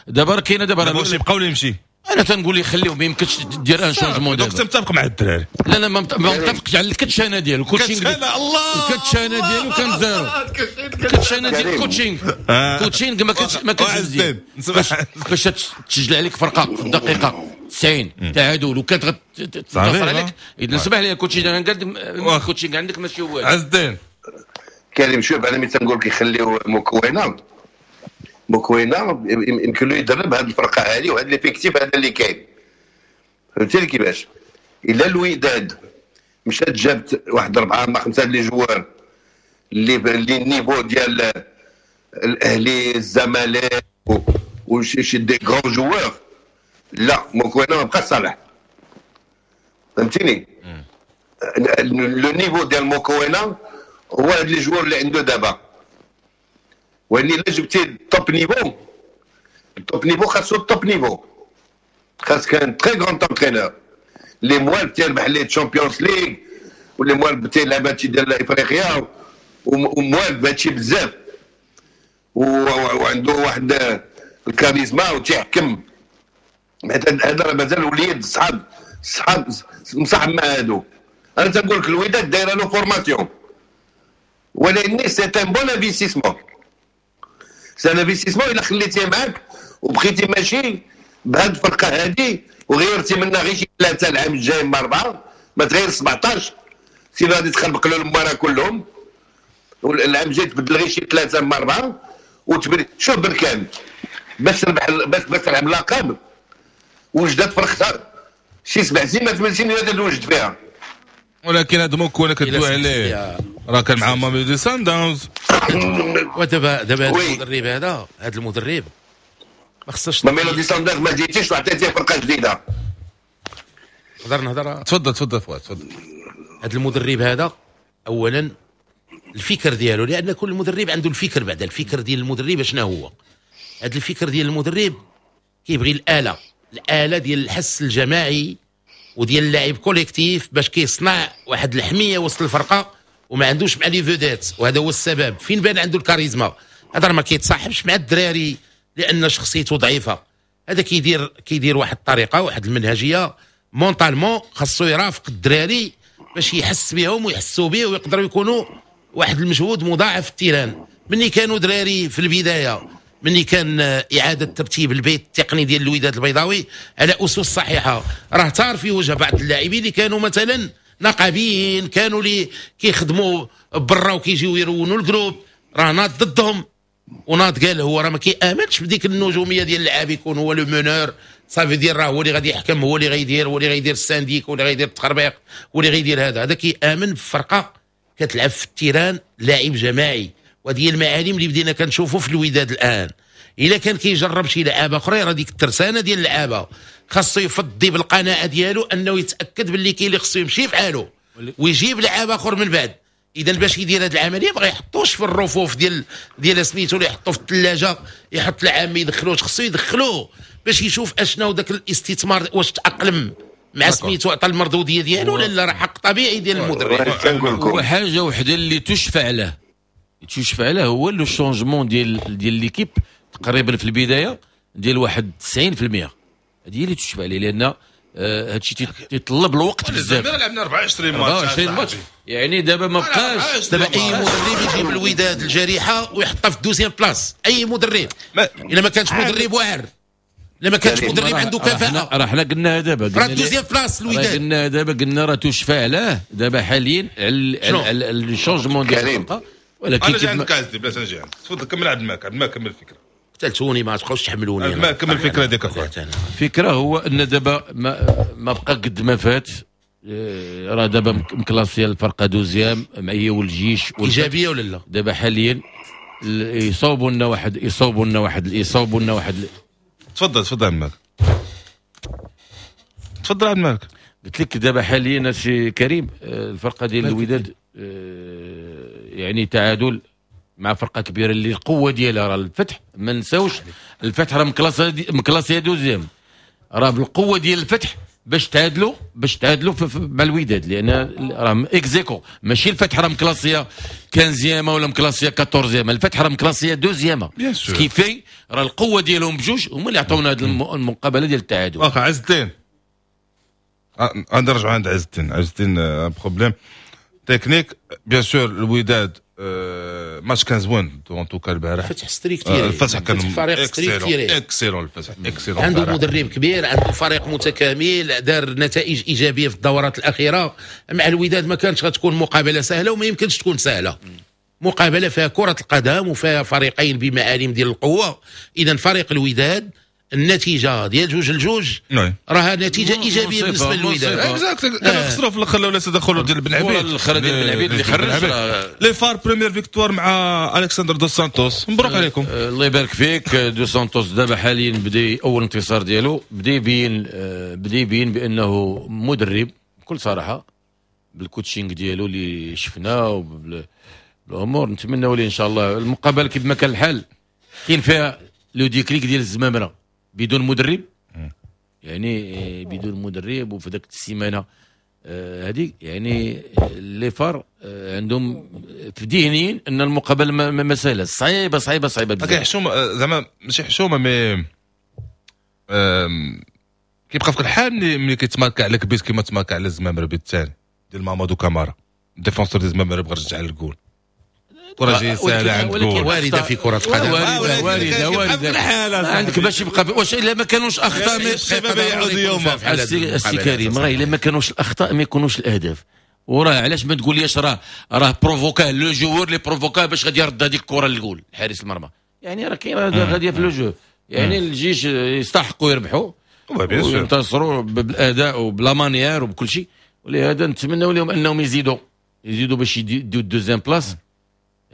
دابا راه كاينه دابا واش يبقاو ولا يمشي؟ انا تنقول يخليهم، ما يمكنش دير un changement دابا. donc متفق مع الدراري؟ لا لا ما متفقش على الكتشانه ديالو، ال coaching الله الكتشانه ديالو كان zéro، الكتشانه ديال ال coaching coaching ما كانش ما كانش مزيان. فاش تسجل عليك فرقه في الدقيقة تسعين تعادل وكانت غتنتصر عليك، اذا سمح لي coaching انا قال coaching عندك ماشي هو. عز الدين كريم، شوف انا ملي تنقول لك يخليو مكوينه مكوينه يمكن له يدرب هذه الفرقة هذه وهذا l'effectif هذا اللي كاين، فهمتي كيفاش؟ الا الوداد مشات جابت واحد اربعة ما خمسة les joueurs اللي اللي ال niveau ديال الاهلي الزمالك وشي des grands joueurs، لا موكوينا ما بقاش صالح، فهمتيني؟ le niveau ديال موكوينا هو هاد les joueurs اللي عنده دابا، ولكن الا جبتي ال top niveau، ال top niveau خاصو ال top niveau، خاصك un très grand entraîneur اللي موالف تيربح les Champions League واللي موالف تيلعب هادشي ديال افريقيا وموالف بهادشي بزاف، وعنده واحد الكاريزما وتيحكم. هذا راه مازال وليد صحاب صحاب مصاحب مع هادو. انا تنقول لك الوداد دايرة له formation، ولكن c'est un bon investissement، c'est un investissement الا خليتيه معاك وبقيتي ماشي بهاد الفرقة هادي وغيرتي منها غير شي ثلاثة العام الجاي من اربعة، ما تغير سبعطاش سي غادي تخربق له المباراة كلهم، والعام الجاي تبدل غير شي ثلاثة من اربعة وتبري. شوف بركان باش تربح باش باش تلعب لقب وجدات فرقتها شي سبع سنين ما ثمان سنين اللي توجد فيها. ولكن هذا موكوينا كدوي عليه راه كان مع ماميلودي سان داونز. ودابا دابا هذا المدرب هذا هذا المدرب ما خصهاش ماميلودي سان داونز ما جيتيش وعطيتيه فرقه جديدة. نقدر نهضر؟ تفضل تفضل فؤاد تفضل. هذا المدرب هذا اولا الفكر ديالو، لان كل مدرب عنده الفكر، بعد الفكر ديال المدرب شنو هو؟ هذا الفكر ديال المدرب كيبغي الاله، الاله ديال الحس الجماعي وديال اللاعب collectif باش كيصنع واحد الحمية وسط الفرقة، وما عندوش مع les vedettes، وهذا هو السبب فين بان عنده الكاريزما. هذا راه ما كيتصاحبش مع الدراري لان شخصيته ضعيفة. هذا كيدير كيدير واحد الطريقة، واحد المنهجية mentalement خاصو يرافق الدراري باش يحس بهم ويحسوا به ويقدروا يكونوا واحد المجهود مضاعف في ال terrain. مني كانوا دراري في البداية، مني كان اعاده ترتيب البيت التقني ديال الوداد البيضاوي على اسس صحيحه، راه تار في وجه بعض اللاعبين اللي كانوا مثلا نقابيين، كانوا اللي كيخدموا برا وكيجيو يرونوا ال groupe، راه ناض ضدهم وناض قال هو راه ما كيامنش بديك النجومية ديال اللعاب يكون هو le meneur، صافي ديال راه هو اللي غادي يحكم، هو اللي غيدير، هو اللي غيدير ال syndic، هو اللي غيدير التخربيق، هو اللي غيدير هذا. هذا كيامن بفرقة كتلعب في ال terrain لاعب جماعي، وهذه هي المعالم اللي بدينا كنشوفوا في الوداد الان. الا كان كيجرب شي لعابه اخرى راه ديك الترسانه ديال اللعابه خاصو يفضي بالقناعه ديالو انه يتاكد باللي كاين اللي خصو يمشي في حاله ويجيب لعاب اخر من بعد. اذا باش يدير هذه العملية ما يحطوش في الرفوف ديال ديال سميتو اللي يحطو في الثلاجة، يحط العام ما يدخلوش، خصو يدخلوه باش يشوف اشنو ذاك الاستثمار واش تاقلم مع سميتو عطى المردوديه ديالو ولا لا، راه حق طبيعي ديال المدرب. وحاجه وحده اللي تشفع له تشفع له هو le changement ديال ديال l'équipe تقريبا في البداية ديال واحد تسعين في المية، هذه هي اللي تشفع عليه، لان هادشي تيطلب الوقت بزاف. لعبنا أربعة وعشرين ماتش، أربعة وعشرين ماتش يعني دابا ما بقاش. دابا اي مدرب يجيب الوداد الجريحه ويحطها في ال deuxième place، اي مدرب الا ما كانش مدرب واعر، الا ما كانش مدرب عنده كفاءة، راه حنا قلنا دابا راه ال deuxième place الوداد، قلنا دابا قلنا راه تشفع له دابا حاليا على ال changement ديال الفرقة. ولكن انا جاي عندك عزيزي بلاش نجي عندك، تفضل كمل عبد الماك. عبد الماك كمل الفكرة. قتلتوني ما تبقاوش تحملوني. ما كمل الفكرة ديك اخويا. الفكرة هو ان دابا ما, ما بقى قد ما فات، راه دابا مكلاسيه الفرقة deuxième مع هي والجيش. ايجابية ولا لا؟ دابا حاليا يصوبوا لنا واحد يصوبوا لنا واحد يصوبوا لنا واحد. تفضل تفضل عبد الماك، تفضل عبد الماك. قلت لك دابا حاليا سي كريم الفرقة ديال الوداد يعني تعادل مع فرقه كبيرة اللي القوة ديالها راه الفتح، ما نساوش الفتح راه مكلاسيه deuxième، راه بالقوة ديال الفتح باش تعادلوا باش تعادلوا مع الوداد، لان راه ex aequo ماشي الفتح راه مكلاسيه quinzième ولا مكلاسيه quatorzième، الفتح راه مكلاسيه deuxième، ce qui fait راه القوة ديالهم بجوج هما اللي عطونا هذه المقابلة ديال التعادل. واخا عز الدين، نرجعوا عند عز الدين. عز الدين problème technique bien sûr. الوداد ماتش كان زوين en tout cas البارح. الفتح structuré، الفتح كان فريق structuré excellent، الفتح excellent، عنده مدرب كبير، عنده فريق متكامل، دار نتائج ايجابية في الدورات الاخيرة. مع الوداد ما كانتش غتكون مقابله سهلة وما يمكنش تكون سهلة، مقابله فيها كره القدم وفيها فريقين بمعالم ديال القوة. اذا فريق الوداد النتيجة ديال جوج لجوج راها نتيجة ايجابية بالنسبة للوداد. exact، كانوا خسروا في الاخر ولا تدخلوا ديال بن عبيد، الاخر ديال بن عبيد اللي خرج les FAR. première victoire مع الكسندر دو سانتوس، مبروك عليكم. الله يبارك فيك. دو سانتوس دابا حاليا بدا اول انتصار ديالو، بدا يبين بدا يبين بانه مدرب بكل صراحة بال coaching ديالو اللي شفناه وبالامور. نتمنوا ليه ان شاء الله المقابلة كيف ما كان الحال كاين فيها le déclic ديال الزمامره بدون مدرب، يعني بدون مدرب. وفي ذاك السيمانة هذيك يعني les FAR عندهم في ذهنيين ان المقابلة ما سهلة، صعيبة صعيبة صعيبة بزاف. حشومه زعما، ماشي حشومه، mais كيبقى في الحال ملي ملي كيتماركا عليك بيت كيما تماركا على الزمامره بيت الثاني ديال مامادو كامارا، défenseur ديال الزمامره بغى يرجع للجول، كرة جاية سهلة عند جول. وارده في كره القدم، وارده وارده وارده عندك باش يبقى. واش الا ما كانوش اخطاء الشباب يعود يوم السي كريم، راه الا ما كانوش الاخطاء ما يكونوش الاهداف. وراه علاش ما تقوليش راه راه provoqua le joueur اللي provoqua باش غادي يرد هذيك الكره للجول حارس المرمى، يعني راه كاين غادية في le jeu. يعني الجيش يستحقوا يربحوا وينتصروا بالاداء وب la manière وبكل شيء، ولهذا نتمنوا لهم انهم يزيدوا يزيدوا باش يديو ال deuxième place.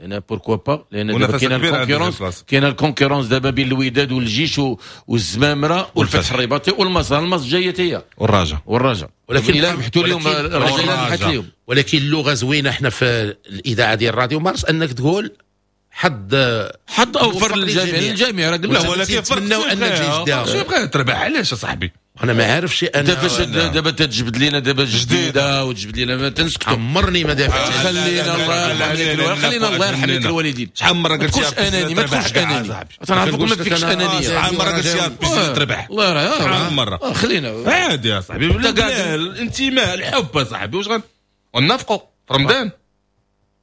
انا pourquoi pas، لان دابا كاين ال concurrence، كاين ال concurrence دابا بين الوداد والجيش والزمامره والفتح الرباطي والمصر، المصر جاية هي والرجاء والرجاء. ولكن الا ربحتوا اليوم الرجاء ربحت اليوم. ولكن اللغة زوينة احنا في الاذاعة ديال الراديو مارس انك تقول حظ حظ اوفر للجميع، للجميع راه قلنا. ولكن فرق ان الجيش دا شو بغى تربح علاش اصاحبي؟ انا ما عارفش انا. انت فاش دابا تجبد لنا دابا جديدة وتجبد لنا ما تنسكتوا. عمرني ما دافعت. خلينا الله يرحم لك، خلينا الله يرحم لك الوالدين. شحال من مرة قلت ما تكونش اناني، ما تكونش اناني، تنعرفك ما فيكش انانية. شحال من مرة قلت يا ربي تربح، الله يرحم. شحال من مرة خلينا عادي يا صاحبي، الانتماء الحب يا صاحبي. واش غنافقوا في رمضان؟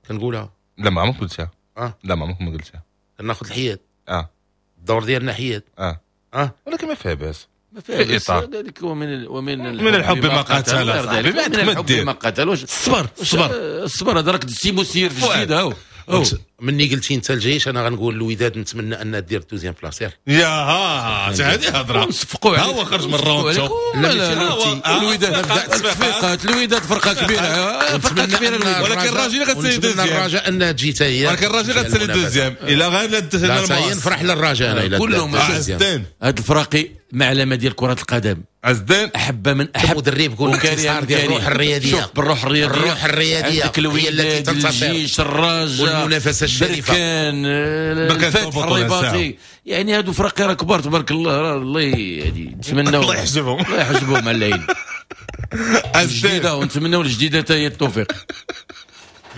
كنقولها. لا ما عمرك قلتها. اه لا ما عمرك ما قلتها. ناخذ الحياد. اه الدور ديالنا حياد. اه اه ولكن ما فيها باس، ما فيها باس. ذلك ومن ومن من الحب ما قتل. من الحب ما قتل. الصبر الصبر الصبر. هذا راك سي مسير في الجديد هاو. مني قلتي انت الجيش انا غنقول الوداد نتمنى ان دير deuxième place. يا ها هذه هضره نصفقوا ها هو خرج من الروند. لا الوداد تصفيقات، الوداد فرقه كبيرة، فرقه كبيرة الوداد. ولكن الراجل غتسالي deuxième، الرجاء انها تجي حتى هي. ولكن الراجل غتسالي deuxième الا غير لا نفرح للرجاء انا الا كلهم هاد الفراقي معلمه ديال كره القدم. عزدين احب من احب مدرب كل انتصار ديال الروح الرياضية. شوف بالروح الرياضية، الروح الرياضية هي التي تنتصر. الجيش، الرجاء، والمنافسه الشريفة، بركان، الفتح الرباطي، يعني هادو فرق راه كبار تبارك الله. الله يهدي، نتمناو الله يحجبهم، الله يحجبهم على العين الجديدة، ونتمناو الجديدة حتى هي التوفيق.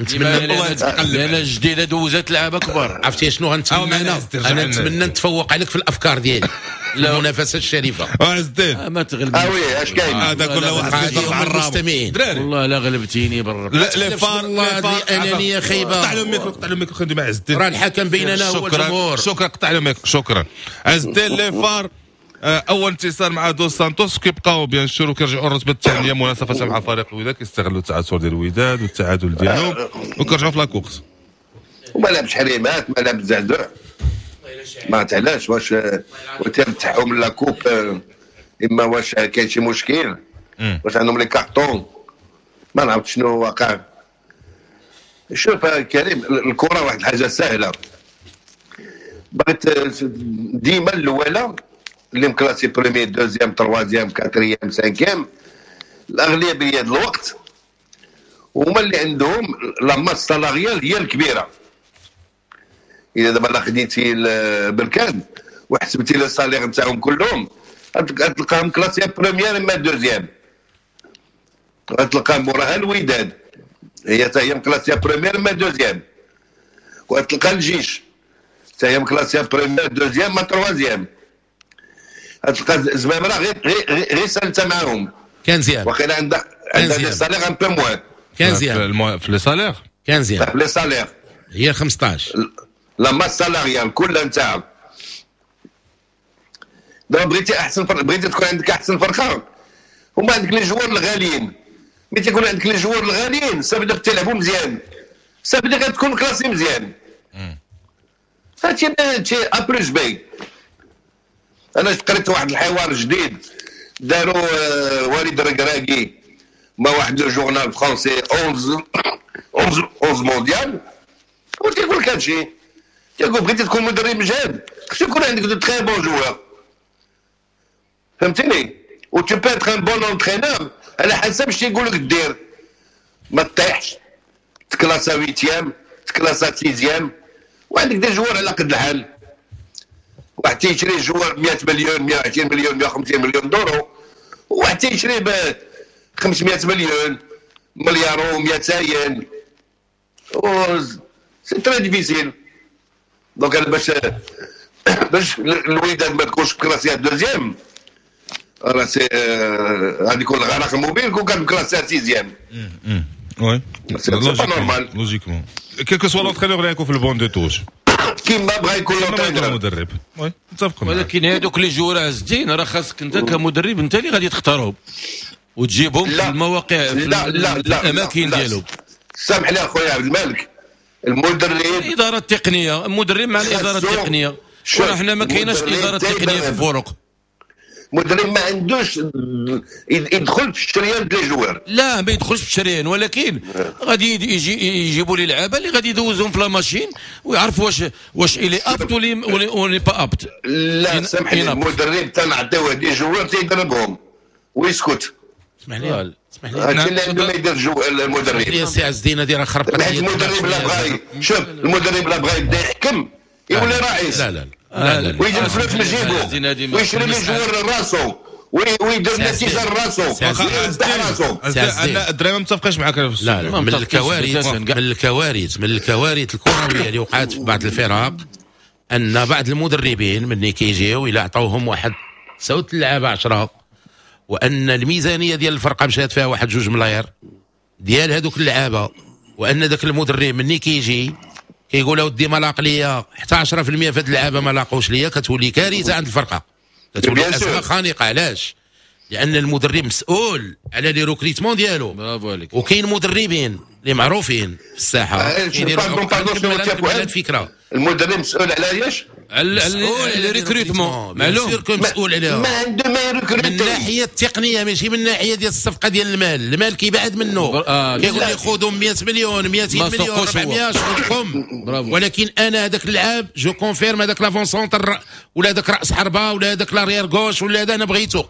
نتمنى الله يتقلب، لان الجديدة دوزات لعابه كبار. عرفتي شنو غنتمنى انا؟ انا نتمنى نتفوق عليك في الافكار ديالي، المنافسة الشريفة. عزدين ما تغلبنيش. اه oui اش كاين هذا كل واحد كيضرب على المستمعين. والله لا غلبتيني بالرب. لا les FAR les FAR انانية خايبة. قطع له الميكرو، قطع له الميكرو خلينا مع عزدين. راه الحكم بيننا هو الجمهور. شكرا، قطع له الميكرو. شكرا عزدين. les FAR اول انتصار مع دو سانتوس، كيبقاو bien sûr وكيرجعوا الرتبة الثانية منافسه مع فريق الوداد، كيستغلوا التعثر ديال الوداد والتعادل ديالهم وكيرجعوا في la course. وما لعبش حريمات، ما لعب زعزوع، ما عرفت علاش، واش وترتاحوا من la coupe، اما واش كاين شي مشكل، واش عندهم les cartons، ما نعرفت شنو واقع. شوف كريم، الكره واحد الحاجة سهلة، بغيت ديما الاولى اللي مكلاسي premier deuxième troisième quatrième cinquième، الاغلبية ديال الوقت هما اللي عندهم la masse salariale هي الكبيرة. اذا دابا لا خديتي بركان وحسبتي les salaires نتاعهم كلهم غتلقاهم classés premier اما deuxième، غتلقى موراها الوداد هي حتى هي مكلاسيه premier اما deuxième، وغتلقى الجيش حتى هي مكلاسيه premier deuxième ما troisième. غتلقى زمامرة غير غير غير سالته معاهم quinzième، وقيلا عندها عندها les salaires un peu moins. quinzième في les salaires، quinzième في les salaires هي خمسطاش la masse salariale كلها نتاعها. دابا بغيتي احسن فرقه، بغيتي تكون عندك احسن فرقه، هما عندك les joueurs الغاليين. ملي تيكون عندك les joueurs الغاليين صافي تلعبوا مزيان، صافي غتكون classé مزيان. هادشي هادشي A plus B. انا قريت واحد الحوار جديد داروا آه، وليد الركراكي مع واحد le journal français onze onze onze Mondial، وتيقول لك هادشي، تيقول بغيتي تكون مدرب مجهد خصو يكون عندك de très bons joueurs، فهمتيني؟ و tu peux être un bon entraîneur على حسب اش تيقول لك دير، ما تطيحش تكلاسا huitième، تكلاسا sixième، وعندك des joueurs على قد الحال. واحد تيشري joueur مية مليون، مية وعشرين مليون، مية وخمسين مليون دورو، وواحد تيشري ب خمسمية مليون، مليار و ميتين. c'est très difficile. donc انا باش باش الوداد ما تكونش classée deuxième، راه c'est غادي يكون الغرق المبين كون كان classée sixième. oui، c'est pas normal. logiquement quel que soit l'entraîneur اللي يكون في ال banc de touche. كيما بغا يكون l'entraîneur، المدرب، oui، متفق. ولكن هذوك les joueurs عزتين راه خاصك انت كمدرب انت اللي غادي تختارهم وتجيبهم في المواقع، في لا لا لا الاماكن ديالهم. سامح لي اخويا عبد الملك، المدرب الادارة التقنيه، المدرب مع الادارة التقنيه، وراه حنا ما كايناش الادارة التقنية في الفرق. المدرب ما عندوش يدخل في الشريان des joueurs. لا، ما يدخلش في الشريان، ولكن غادي يجي يجيبوا لي لعابه اللي غادي يدوزهم في la machine ويعرفوا واش واش il est apte ولا pas apte. لا، سامح لي، المدرب تنعطيوه des joueurs تيدربهم ويسكت. اسمح لي، اسمح لي. هادشي اللي عنده ما يدير جو المدرب. اسمح لي سي عز الدين، هذه راه خربقت. حيت المدرب لا بغا، شوف، المدرب لا بغا يبدا يحكم يولي رئيس. لا لا لا لا. ويجيب الفلوس من جيبو ويشري les joueurs لراسو ويدير النتيجة لراسو ويربح راسو. انا الدراري ما متفقش معاك. لا لا، من الكوارث من الكوارث من الكوارث الكروية اللي وقعت في بعض الفرق ان بعض المدربين ملي كيجيو الى عطوهم واحد تسعة اللعابه عشرة، وان الميزانية ديال الفرقة مشات فيها واحد جوج ملاير ديال هذوك اللعابه، وان ذاك المدرب ملي كيجي كيقول اودي ما لاق ليا حتى عشرة في المية في هاد اللعابه، ما لاقوش ليا، كتولي كارثة عند الفرقه، كتولي ازمة خانقه. علاش؟ لان المدرب مسؤول على les recrutements ديالو. برافو عليك. وكاين مدربين اللي معروفين في الساحة آه، كيديروا الفكره. المدرب مسؤول على ايش؟ على les recrutements، معلوم مسؤول عليها. ما عنده ما يريكروتي. من الناحية التقنيه، ماشي من الناحية ديال الصفقة ديال المال. المال كيبعد منه، آه كيقول لي خذوا مية مليون، ميتين مليون، أربعمية، شغلكم. ولكن انا هذاك اللعاب je confirme، هذاك l'avant-centre ولا هذاك راس حربه ولا هذاك l'arrière gauche ولا هذا انا بغيتو.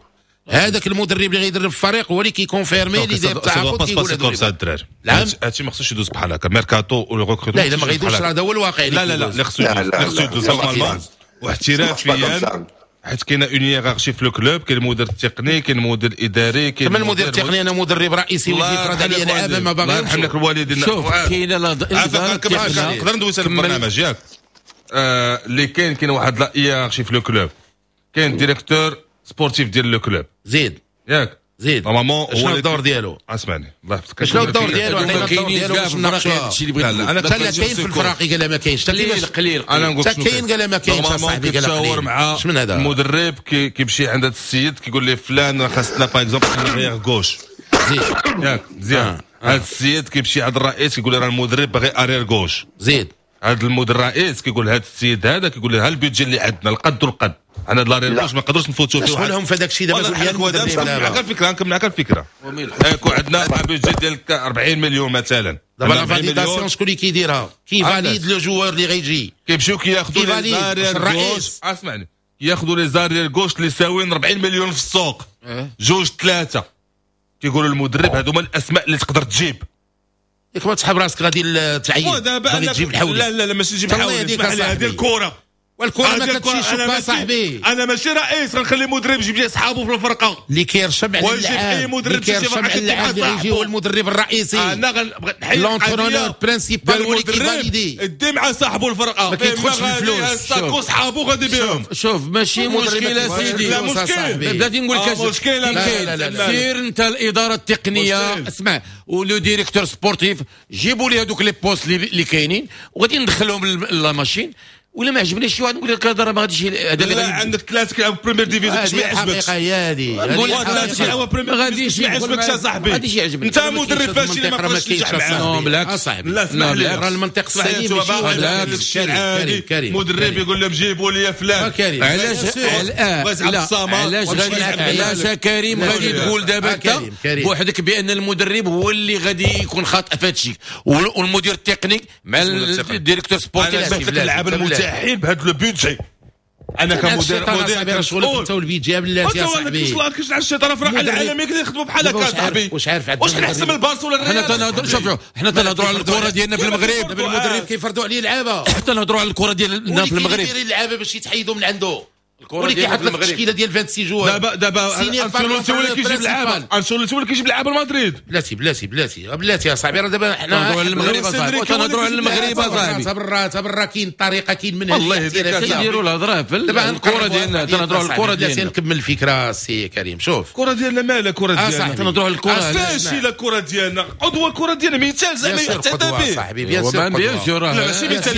هذاك المدرب اللي غيدرب الفريق هو اللي كي confirmer، اللي داير التعاقد كيقول هذا الدراري. نعم، هادشي ما خصوش يدوز بحال هكا، ميركاتو ولا recrutement. لا، الا ما غيدوزش هذا هو الواقع. لا لا لا، اللي خصو يدوز، اللي خصو يدوز normalement واحترافيا، حيت كاينه une hiérarchie في ال club، كاين المدير التقني، كاين المدير الاداري، كاين المدير التقني. انا مدرب رئيسي ويجي يفرض عليا لعابه ما باغيش. الله يرحم لك الوالدين. شوف، كاينه الادارة. نقدر ندوز البرنامج ياك؟ آه، اللي كاين كاين واحد la hiérarchie في le club، كاين directeur sportif ديال le club. زيد. ياك؟ زيد. normalement شنو الدور ديالو؟ اسمعني، الله يحفظك. شنو الدور ديالو؟ عطينا الدور ديالو باش نناقشوها. هادشي اللي بغيت. لا، انا لا، كاين في الفراقي قال ما كاينش. قليل قليل. انا نقول شنو كاين، قال ما كاينش اصاحبي، قال قليل مع من هذا المدرب كيمشي عند هذا السيد كيقول ليه فلان خاصنا par exemple arrière gauche. زيد. ياك؟ مزيان. هذا السيد كيمشي عند الرئيس كيقول له راه المدرب باغي arrière gauche. زيد. هذا المدير الرئيس كيقول هذا السيد هذا، كيقول له ها ال budget اللي عندنا، القد والقد، حنا l'arrière gauche ما نقدروش نفوتوا فيه. شغلهم في هذاك الشيء دابا. دابا الفكره، نكمل معك الفكره. يكون عندنا budget ديال أربعين مليون مثلا. دابا la validation شكون اللي كيديرها؟ qui valide le joueur اللي غيجي؟ كيمشيو كياخذوا les arrières gauche، اسمعني، ياخذوا les arrières gauche اللي ساويين أربعين مليون في السوق، جوج ثلاثه، كيقولوا المدرب هذوما الاسماء اللي تقدر تجيب. ياك ما تسحب راسك غادي تعين غادي تجيب الحولي؟ لا لا لا، ماشي تجيب الحولي، هذه الكره. والكره ما كتمشيش صاحبي. انا ماشي رئيس غنخلي مدرب يجيب لي صحابه في الفرقه. اللي كيرشم على اللاعب، اللي كيرشم على اللاعب اللي يجي هو المدرب الرئيسي. انا غنبغي نحيد l'entraîneur principal هو اللي كي valider. دي مع صاحبه الفرقه. ما كيدخلش في الفلوس. صحابه غادي بهم. شوف، ماشي مشكلة سيدي. لا مشكل. بلاتي نقول لك. مشكله. سير انت الادارة التقنيه، اسمع، و le directeur sportif، جيبوا لي هذوك les postes اللي كاينين وغادي ندخلهم la machine. ولا ما عجبنيش شي واحد نقول لك هذا راه ما غاديش هذا اللي لا عندك ثلاثة كيلعبوا Première division باش ما يعجبكش الحقيقة هي هذه. نقول ثلاثة كيلعبوا Première division ما يعجبكش اصاحبي. غاديش يعجبني. انت مدرب فاشل ما تقدرش تنجح معاه. بالعكس صاحبي. لا اسمح لي، راه المنطق السليم ماشي كريم. مدرب يقول لهم جيبوا لي فلان. علاش علاش علاش كريم غادي تقول دابا انت بوحدك بان المدرب هو اللي غادي يكون خاطئ في هذا الشيء، والمدير التقني مع ال directeur sportif؟ انا اللعابه المتاحين بهذا le budget. انا كمدير مدير شغلك انت وال budget بلاتي يا صاحبي. كيفاش على الشيطان في العالمية كيخدموا بحال هكا صاحبي. واش عارف واش حنا من البارسا ولا الريال؟ حنا تنهضروا، شوف حنا تنهضروا على الكره ديالنا في المغرب. دابا المدرب كيفرضوا عليه اللعابه. حتى نهضروا على الكره ديالنا في المغرب. كيدير اللعابه باش يتحيدوا من عنده. الكره ديالنا في المغرب التشكيلة ديال ستة وعشرين joueurs. دابا دابا انشيلوتي هو اللي كيجيب اللعابه، انشيلوتي هو اللي كيجيب اللعابه لمدريد. بلاتي بلاتي بلاتي بلاتي يا صاحبي، راه دابا حنا تنهضروا على المغرب اصاحبي، تنهضروا على المغرب اصاحبي. تبرا تبرا كاين طريقه، كاين منهج. الله يهديك. كنديروا الهضرة في الكره ديالنا، تنهضروا على الكره ديالنا. نكمل الفكرة سي كريم. شوف الكره ديالنا مالها الكره ديالنا؟ تنهضروا على الكره فاشلة الكره ديالنا. عضو الكره ديالنا مثال زعما يعتدى به صاحبي. bien sûr bien sûr. ماشي مثال،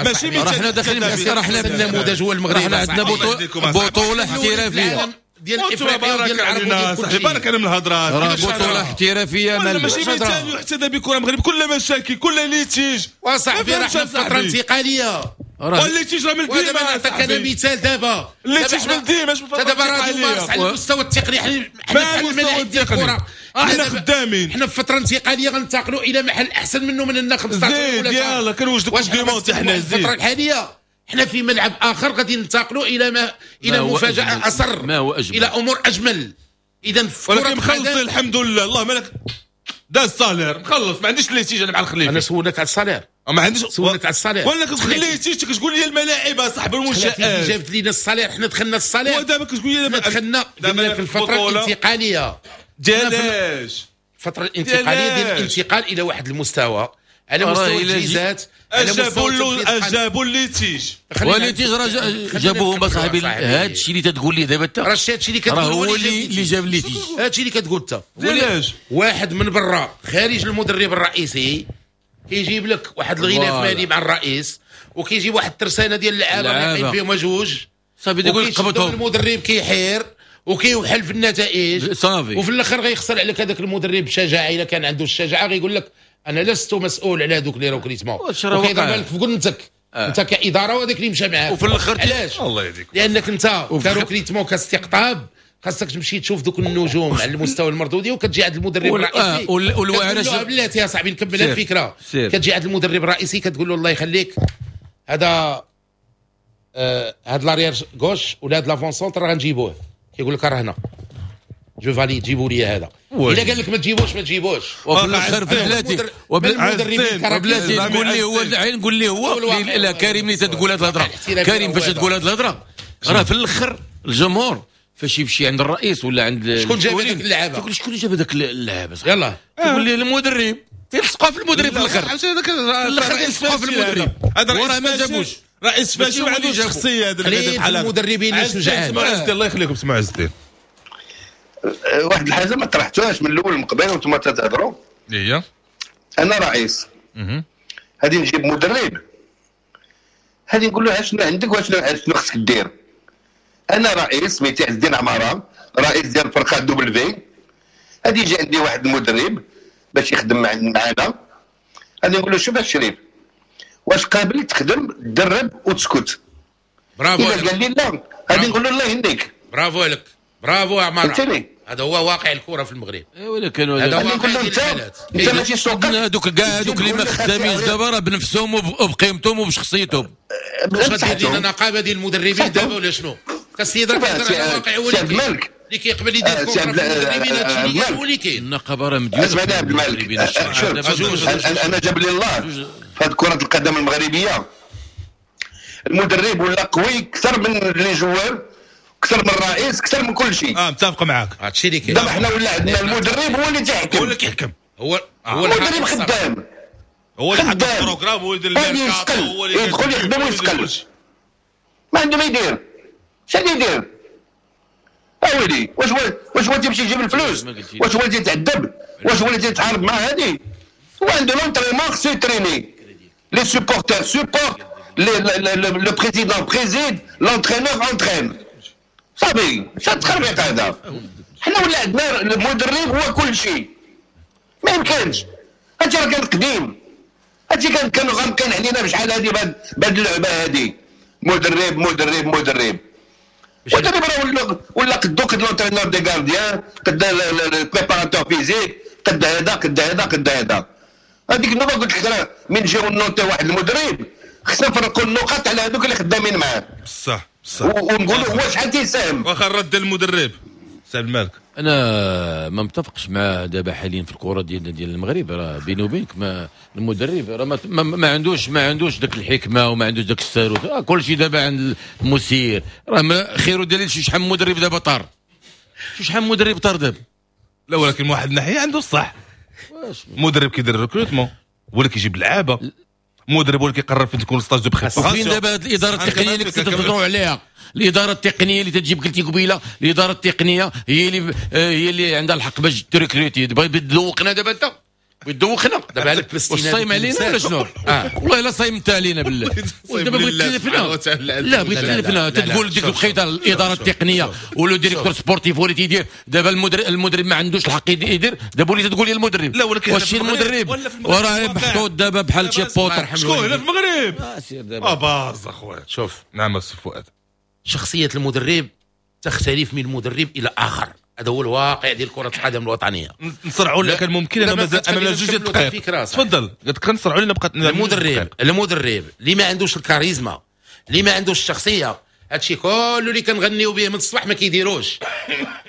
ماشي مثال. راه حنا داخلين، راه حنا النموذج هو المغرب. حنا عندنا بطولة احترافية ديال افريقيا وديال العرب وديال كل شيء. بارك على من الهضرات. راه بطولة احترافية ماشي مثال يحتذى بكرة المغرب. كل مشاكل، كل litige وصاحبي. راه حنا في فترة انتقالية. وال litige راه من ديما. نعطيك انا مثال دابا. ال litige من ديما. دابا راه مارس على المستوى التقني. حنا في الملاعب ديال الكرة احنا خدامين. حنا في فترة انتقالية غننتقلوا الى محل احسن منه من هنا خمسطاش ولا يلاه كنوجدوا Coupe du monde حنا زيد. الفترة الحالية حنا في ملعب اخر غادي ننتقلوا الى ما الى مفاجاة اصر، ما هو أجمل. الى امور اجمل. اذا ولكن مخلصين الحمد لله. الله مالك دا ال salaire مخلص، ما عنديش litige انا مع الخليفي. انا سولك على ال salaire. ما عنديش. سولك على ال salaire ولا كتقول litige كتقول لي الملاعب اصاحبي المنشآت جابت لينا ال salaire. حنا دخلنا ال salaire ودابا كتقول لي دخلنا في الفترة الانتقالية ديالاش؟ الفترة الانتقالية ديال الانتقال الى واحد المستوى على مستوى التجهيزات. جابوا جابوا ال litige. وال litige راه جابوهم اصاحبي. هذا الشيء اللي تتقول لي دابا انت راه هادشي اللي كتقول هو اللي اللي جاب ال litige. هادشي اللي كتقول انت. علاش واحد من برا خارج المدرب الرئيسي كيجيب لك واحد الغلاف مالي مع الرئيس، وكيجيب واحد الترسانه ديال اللعابه اللي فيهم جوج صافي تقول قبضهم. المدرب كيحير وكيوحل في النتائج صافي، وفي الاخر غيخسر عليك هذاك المدرب بشجاعة. الا كان عنده الشجاعة غيقول لك انا لست مسؤول على هذوك les recrutements، وكيضرب لك في قنتك آه. انت كادارة وهذاك اللي مشى معاك. وفي الاخر علاش؟ الله يهديك. لانك انت ك recrutement كاستقطاب خاصك تمشي تشوف دوك النجوم على المستوى المردودي، وكتجي عند المدرب الرئيسي والواعره. بلاتي يا صاحبي نكمل الفكرة. كتجي عند المدرب الرئيسي كتقول له الله يخليك هذا آه هاد l'arrière gauche ولا هاد l'avant-centre راه غنجيبوه. كيقول لك راه هنا je valide جيبوا لي هذا. الا قال لك ما تجيبوش ما تجيبوش. وفي الاخر بلاتي وبلاتي نقول لي هو نقول لي هو لا كريم اللي تتقول هذه الهضرة. كريم فاش تقول هذه الهضرة راه في الاخر الجمهور فاش يمشي عند الرئيس ولا عند شكون جاب هذاك اللعابه، تقول شكون جاب هذاك اللعابه؟ يلاه تقول لي المدرب. تلصقوا في المدرب في الاخر. في الاخر تلصقوا في المدرب. هذا راه ما جابوش رئيس فاشل ما عندوش شخصية. هذا اللي بحال المدربين الشجعان. الله يخليكم سمعوا عز الدين. واحد الحاجة ما طرحتوهاش من الاول من قبل وانتم تتهضروا. هي انا رئيس غادي نجيب مدرب، غادي نقول له شنو عندك وشنو شنو خصك دير. انا رئيس سميتي عز الدين عمارة، رئيس ديال الفرقة W. غادي يجي عندي واحد المدرب باش يخدم معنا، غادي نقول له شوف الشريف واش قابل تخدم تدرب وتسكت. برافو. الا قال لي لا غادي نقول له الله يهديك. برافو لك، برافو عمارة. هذا هو واقع الكره في المغرب. اي ولكن هذا هو واقع الحالات. انت ماشي سوقك. هذوك كاع هذوك اللي ما خدامينش دابا راه بنفسهم وبقيمتهم وبشخصيتهم. واش غادي لنا نقابة ديال المدربين دابا ولا شنو؟ السيد راه كيهضر على واقع هو اللي كيقبل يدير contrat المدربين. هادشي اللي هو اللي كاين. النقابة راه مديوره. اسمعني عبد الملك، شوف انا جاب لي الله في هذه كره القدم المغربية المدرب ولا قوي اكثر من les joueurs، اكثر من الرئيس، اكثر من كل شيء. اه متفق معاك. هادشي اللي كاين. دابا حنا ولا عندنا المدرب هو اللي تيحكم، هو اللي كيحكم، هو هو المدرب خدام، هو اللي حط ال programme، هو اللي يدير الميركاتو، هو اللي يدخل يخدم ويسقل. ما عنده ما يدير. شنو يدير؟ اويلي واش هو واش هو تيمشي يجيب الفلوس؟ واش هو اللي تيتعذب؟ واش هو اللي تيتحارب مع هادي؟ هو عنده l'entraînement خصو يتريني. les supporters supportent، le président préside، l'entraîneur entraîne. صافي شنو التخربيق هذا؟ حنا ولا عندنا المدرب هو كل شيء، ما يمكنش. هادشي راه كان قديم، هادشي كان كانوا غامقين علينا بشحال هادي بهاد اللعبة هادي، مدرب مدرب مدرب مدرب راه ولا ولا قدو قد l'entraîneur des gardiens، قد ال préparateur physique، قد هذا قد هذا قد هذا. هذيك النوبة قلت لك راه من نجيو نوتي واحد المدرب خصنا نفرقوا النقاط على هذوك اللي خدامين معاه. بصح بصح ونقولوا هو شحال تيساهم. واخا الرد المدرب سي عبد المالك. انا ما متفقش مع دابا حاليا في الكره ديال ديال المغرب، راه بيني وبينك ما المدرب راه ما, ما, ما عندوش ما عندوش داك الحكمة وما عندوش داك الساروت، آه كل شيء دابا عند المسير. راه ما خير دليل شي شحال مدرب دابا طار، شحال مدرب طار دابا. لا ولكن واحد الناحية عنده الصح، مدرب كيدير ال recrutement ولا كيجيب لعابه، مدرب هو اللي كيقرر فين تكون stage de préparation. وفين دابا هاد الادارة التقنية اللي كنتو تهضروا عليها؟ الادارة التقنية اللي تجيب قلتي قبيلة، الادارة التقنية هي اللي هي اللي عندها الحق باش ت recruter. بغيت تذوقنا دابا انت، بغيت تذوقنا دابا عليك واش صايم علينا ولا شنو؟ آه. والله الا صايم انت علينا بالله. دابا بغيت تلفنا، لا بغيت تلفنا تقول ديك الوقيته الادارة التقنية ولا directeur sportif هو اللي تيدير. دابا المدرب المدرب ما عندوش الحق يدير، دابا وليت تقول لي المدرب. لا ولكن واش المدرب وراه محطوط دابا بحال شي بوطر. شكون هنا في المغرب؟ آه سير دابا اه باز اخويا. شوف نعم السي فؤاد، شخصية المدرب تختلف من مدرب الى اخر، هذا هو الواقع ديال كرة القدم الوطنية. نصرعوا لك كان ممكن انا مازال امامنا جوج دقائق. تفضل قلت كنصرعوا لنا بقات المدرب المدرب اللي ما عندوش الكاريزما، اللي ما عندوش الشخصية، هادشي كله اللي كنغنيو به من الصباح ما كيديروش.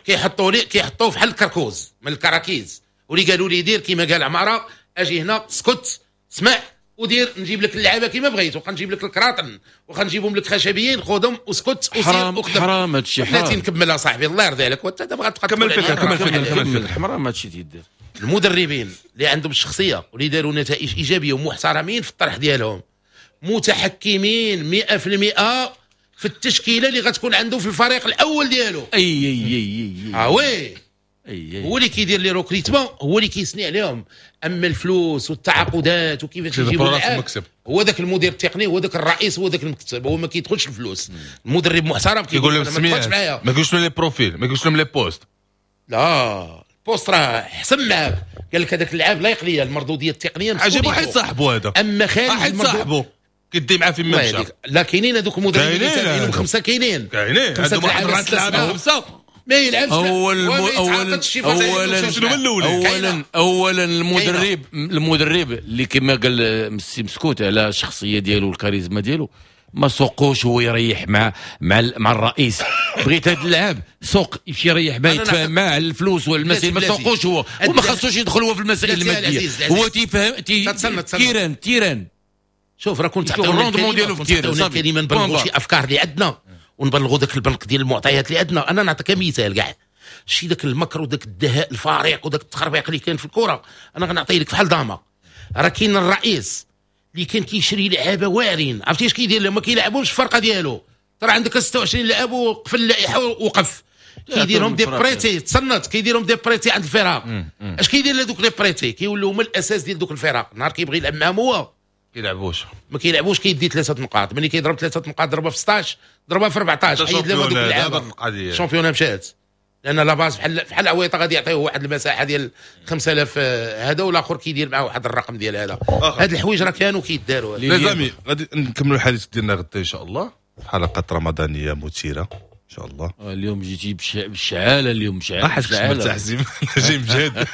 كيحطوا لي كيحطوه فحال الكركوز من الكراكيز، واللي قالوا لي دير كيما قال عمارة، اجي هنا اسكت اسمع ودير، نجيب لك اللعابه كيما بغيت، وغنجيب لك الكراطن وغنجيبهم لك خشبيين، خذهم واسكت وسير. حرام حرام هادشي حرام. بلاتي نكمل صاحبي الله يرضي عليك، وانت دابا غتبقى كمل الفكرة كمل الفكرة كمل الفكرة. حرام هادشي تيدير. المدربين اللي عندهم الشخصية واللي داروا نتائج ايجابية ومحترمين في الطرح ديالهم، متحكمين مئة في المئة في التشكيلة اللي غتكون عنده في الفريق الاول ديالو. اي اي اي اي اه oui هو اللي كيدير les recrutements، هو اللي كيسني عليهم. اما الفلوس والتعاقدات وكيفاش يجيبوا اللعاب، هو ذاك المدير التقني، هو ذاك الرئيس، هو ذاك المكتب، هو ما كيدخلش الفلوس. المدرب محترم كيقول لهم سميات، ما كيقولش لهم les profils، ما كيقولش لهم les postes. لا ال poste راه حسن معاك، قال لك هذاك اللاعب لا يقلي لي المردوديه التقنية. عجبو حيت صاحبو هذا، اما خارج حيت صاحبو كيدي معاه فين ما مشى. لا كاينين هذوك المدربين اللي تابعينهم خمسة، كاينين كاينين عندهم واحد اربعة لعابه خمسة ما يلعبش. اول اولا اولا اولا اولا المدرب المدرب اللي كما قال السي مسكوت على الشخصية ديالو والكاريزما ديالو، ما سوقوش هو يريح مع مع مع الرئيس. بغيت هذا اللاعب سوق يمشي يريح معاه، يتفاهم معاه على الفلوس والمسائل، ما سوقوش هو، وما خاصوش يدخل هو في المسائل المادية. هو تيفهم terrain terrain. شوف راه كنت تعطيونا ال rendement ديالو في ال terrain، الكلمة نبلغوا شي افكار اللي عندنا ونبلغوا ذاك البنك ديال المعطيات اللي عندنا. انا نعطيك مثال كاع شي ذاك المكر وذاك الدهاء الفريق وذاك التخربيق اللي كاين في الكره، انا غنعطي لك فحال داما. راه كاين الرئيس اللي كان كيشري لعابه واعرين، عرفتي اش كيدير لهم؟ ما كيلعبوش في الفرقة ديالو، ترى عندك ستة وعشرين لاعب وقف اللائحة ووقف، كيديرهم des prêtés، تصنت كيديرهم des prêtés عند الفرق. اش كيدير لهذوك les prêtés؟ كيولوا هما الاساس ديال دوك الفرق. نهار كيبغي يلعب معاهم هو كيلعبوش، ما كيلعبوش، كيدي ثلاثة نقاط، ملي كيضرب ثلاثة نقاط ضربها في ستة عشر ضربها في أربعة عشر، حيد لهم هذوك اللعابه، ال championnat مشات. لان la base بحال بحال عويطه غادي يعطيه واحد المساحة ديال خمسة آلاف هذا، والاخر كيدير معاه واحد الرقم ديال هذا. هاد الحوايج راه كانوا كيداروا. les amis غادي نكملوا الحديث ديالنا غدا ان شاء الله في حلقة رمضانيه مثيرة ان شاء الله. اليوم جيتي بالشعاله، اليوم شعاله شعاله جاي مجهد.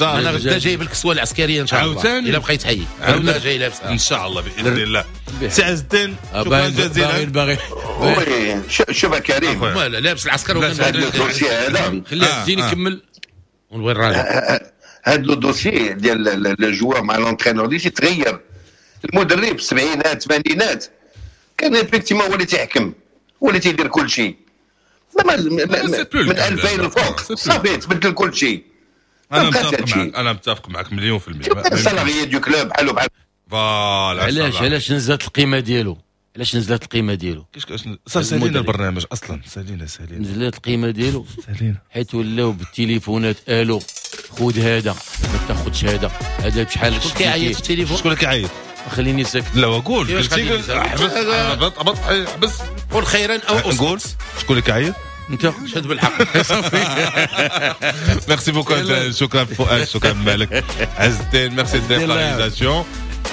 انا غدا جايب الكسوة العسكرية ان شاء الله الا بقيت حي، غدا جاي لابسها ان شاء الله باذن الله. سي عز الدين شكرا جزيلا. باغي oui شوف كريم، لا لابس العسكر هذا ال dossier هذا خلي عز الدين يكمل ونبغي الراجل. هذا le dossier ديال le joueur مع l'entraîneur ديال تغير. المدرب في السبعينات الثمانينات كان effectivement هو اللي تيحكم، هو اللي تيدير كل شيء. من ألفين الفوق صافي تبدل كل شيء. انا متفق معك، انا متفق معك مليون في المية. salarié du club بحالو بحال voilà. علاش علاش نزلت القيمة ديالو؟ علاش نزلت القيمة ديالو؟ كيفاش صافي سالينا البرنامج اصلا، سالينا سالينا نزلت القيمة ديالو سالينا، حيت ولاو بالتليفونات الو خذ هذا ما تاخذش هذا، هذا بشحال. شكون كيعيط في التليفون؟ شكون كيعيط؟ خليني ساكت. لا وقول قلتي حبس حبس حبس قول خيرا او اصمت. نقول شكون اللي كيعيط؟ انت شهد بالحق. صافي merci beaucoup، شكرا فؤاد، شكرا مالك عز الدين، ميرسي ديال la réalisation.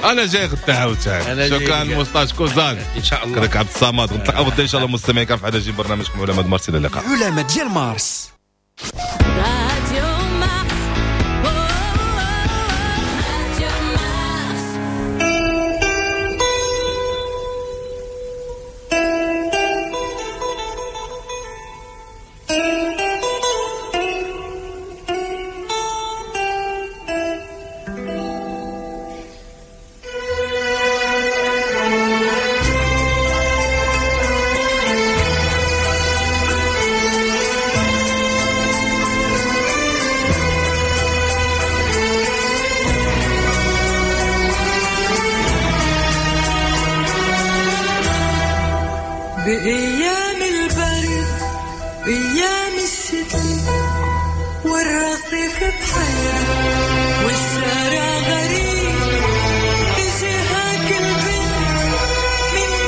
انا جاي غدا عاوتاني. شكرا موستاش كوزان ان شاء الله. كذلك عبد الصمد. نتلاقاو غدا ان شاء الله مستمعين في عدد جديد برنامجكم علماء مارس. الى اللقاء. علماء ديال مارس. بأيام البرد بأيام الشتاء والرصيف بحال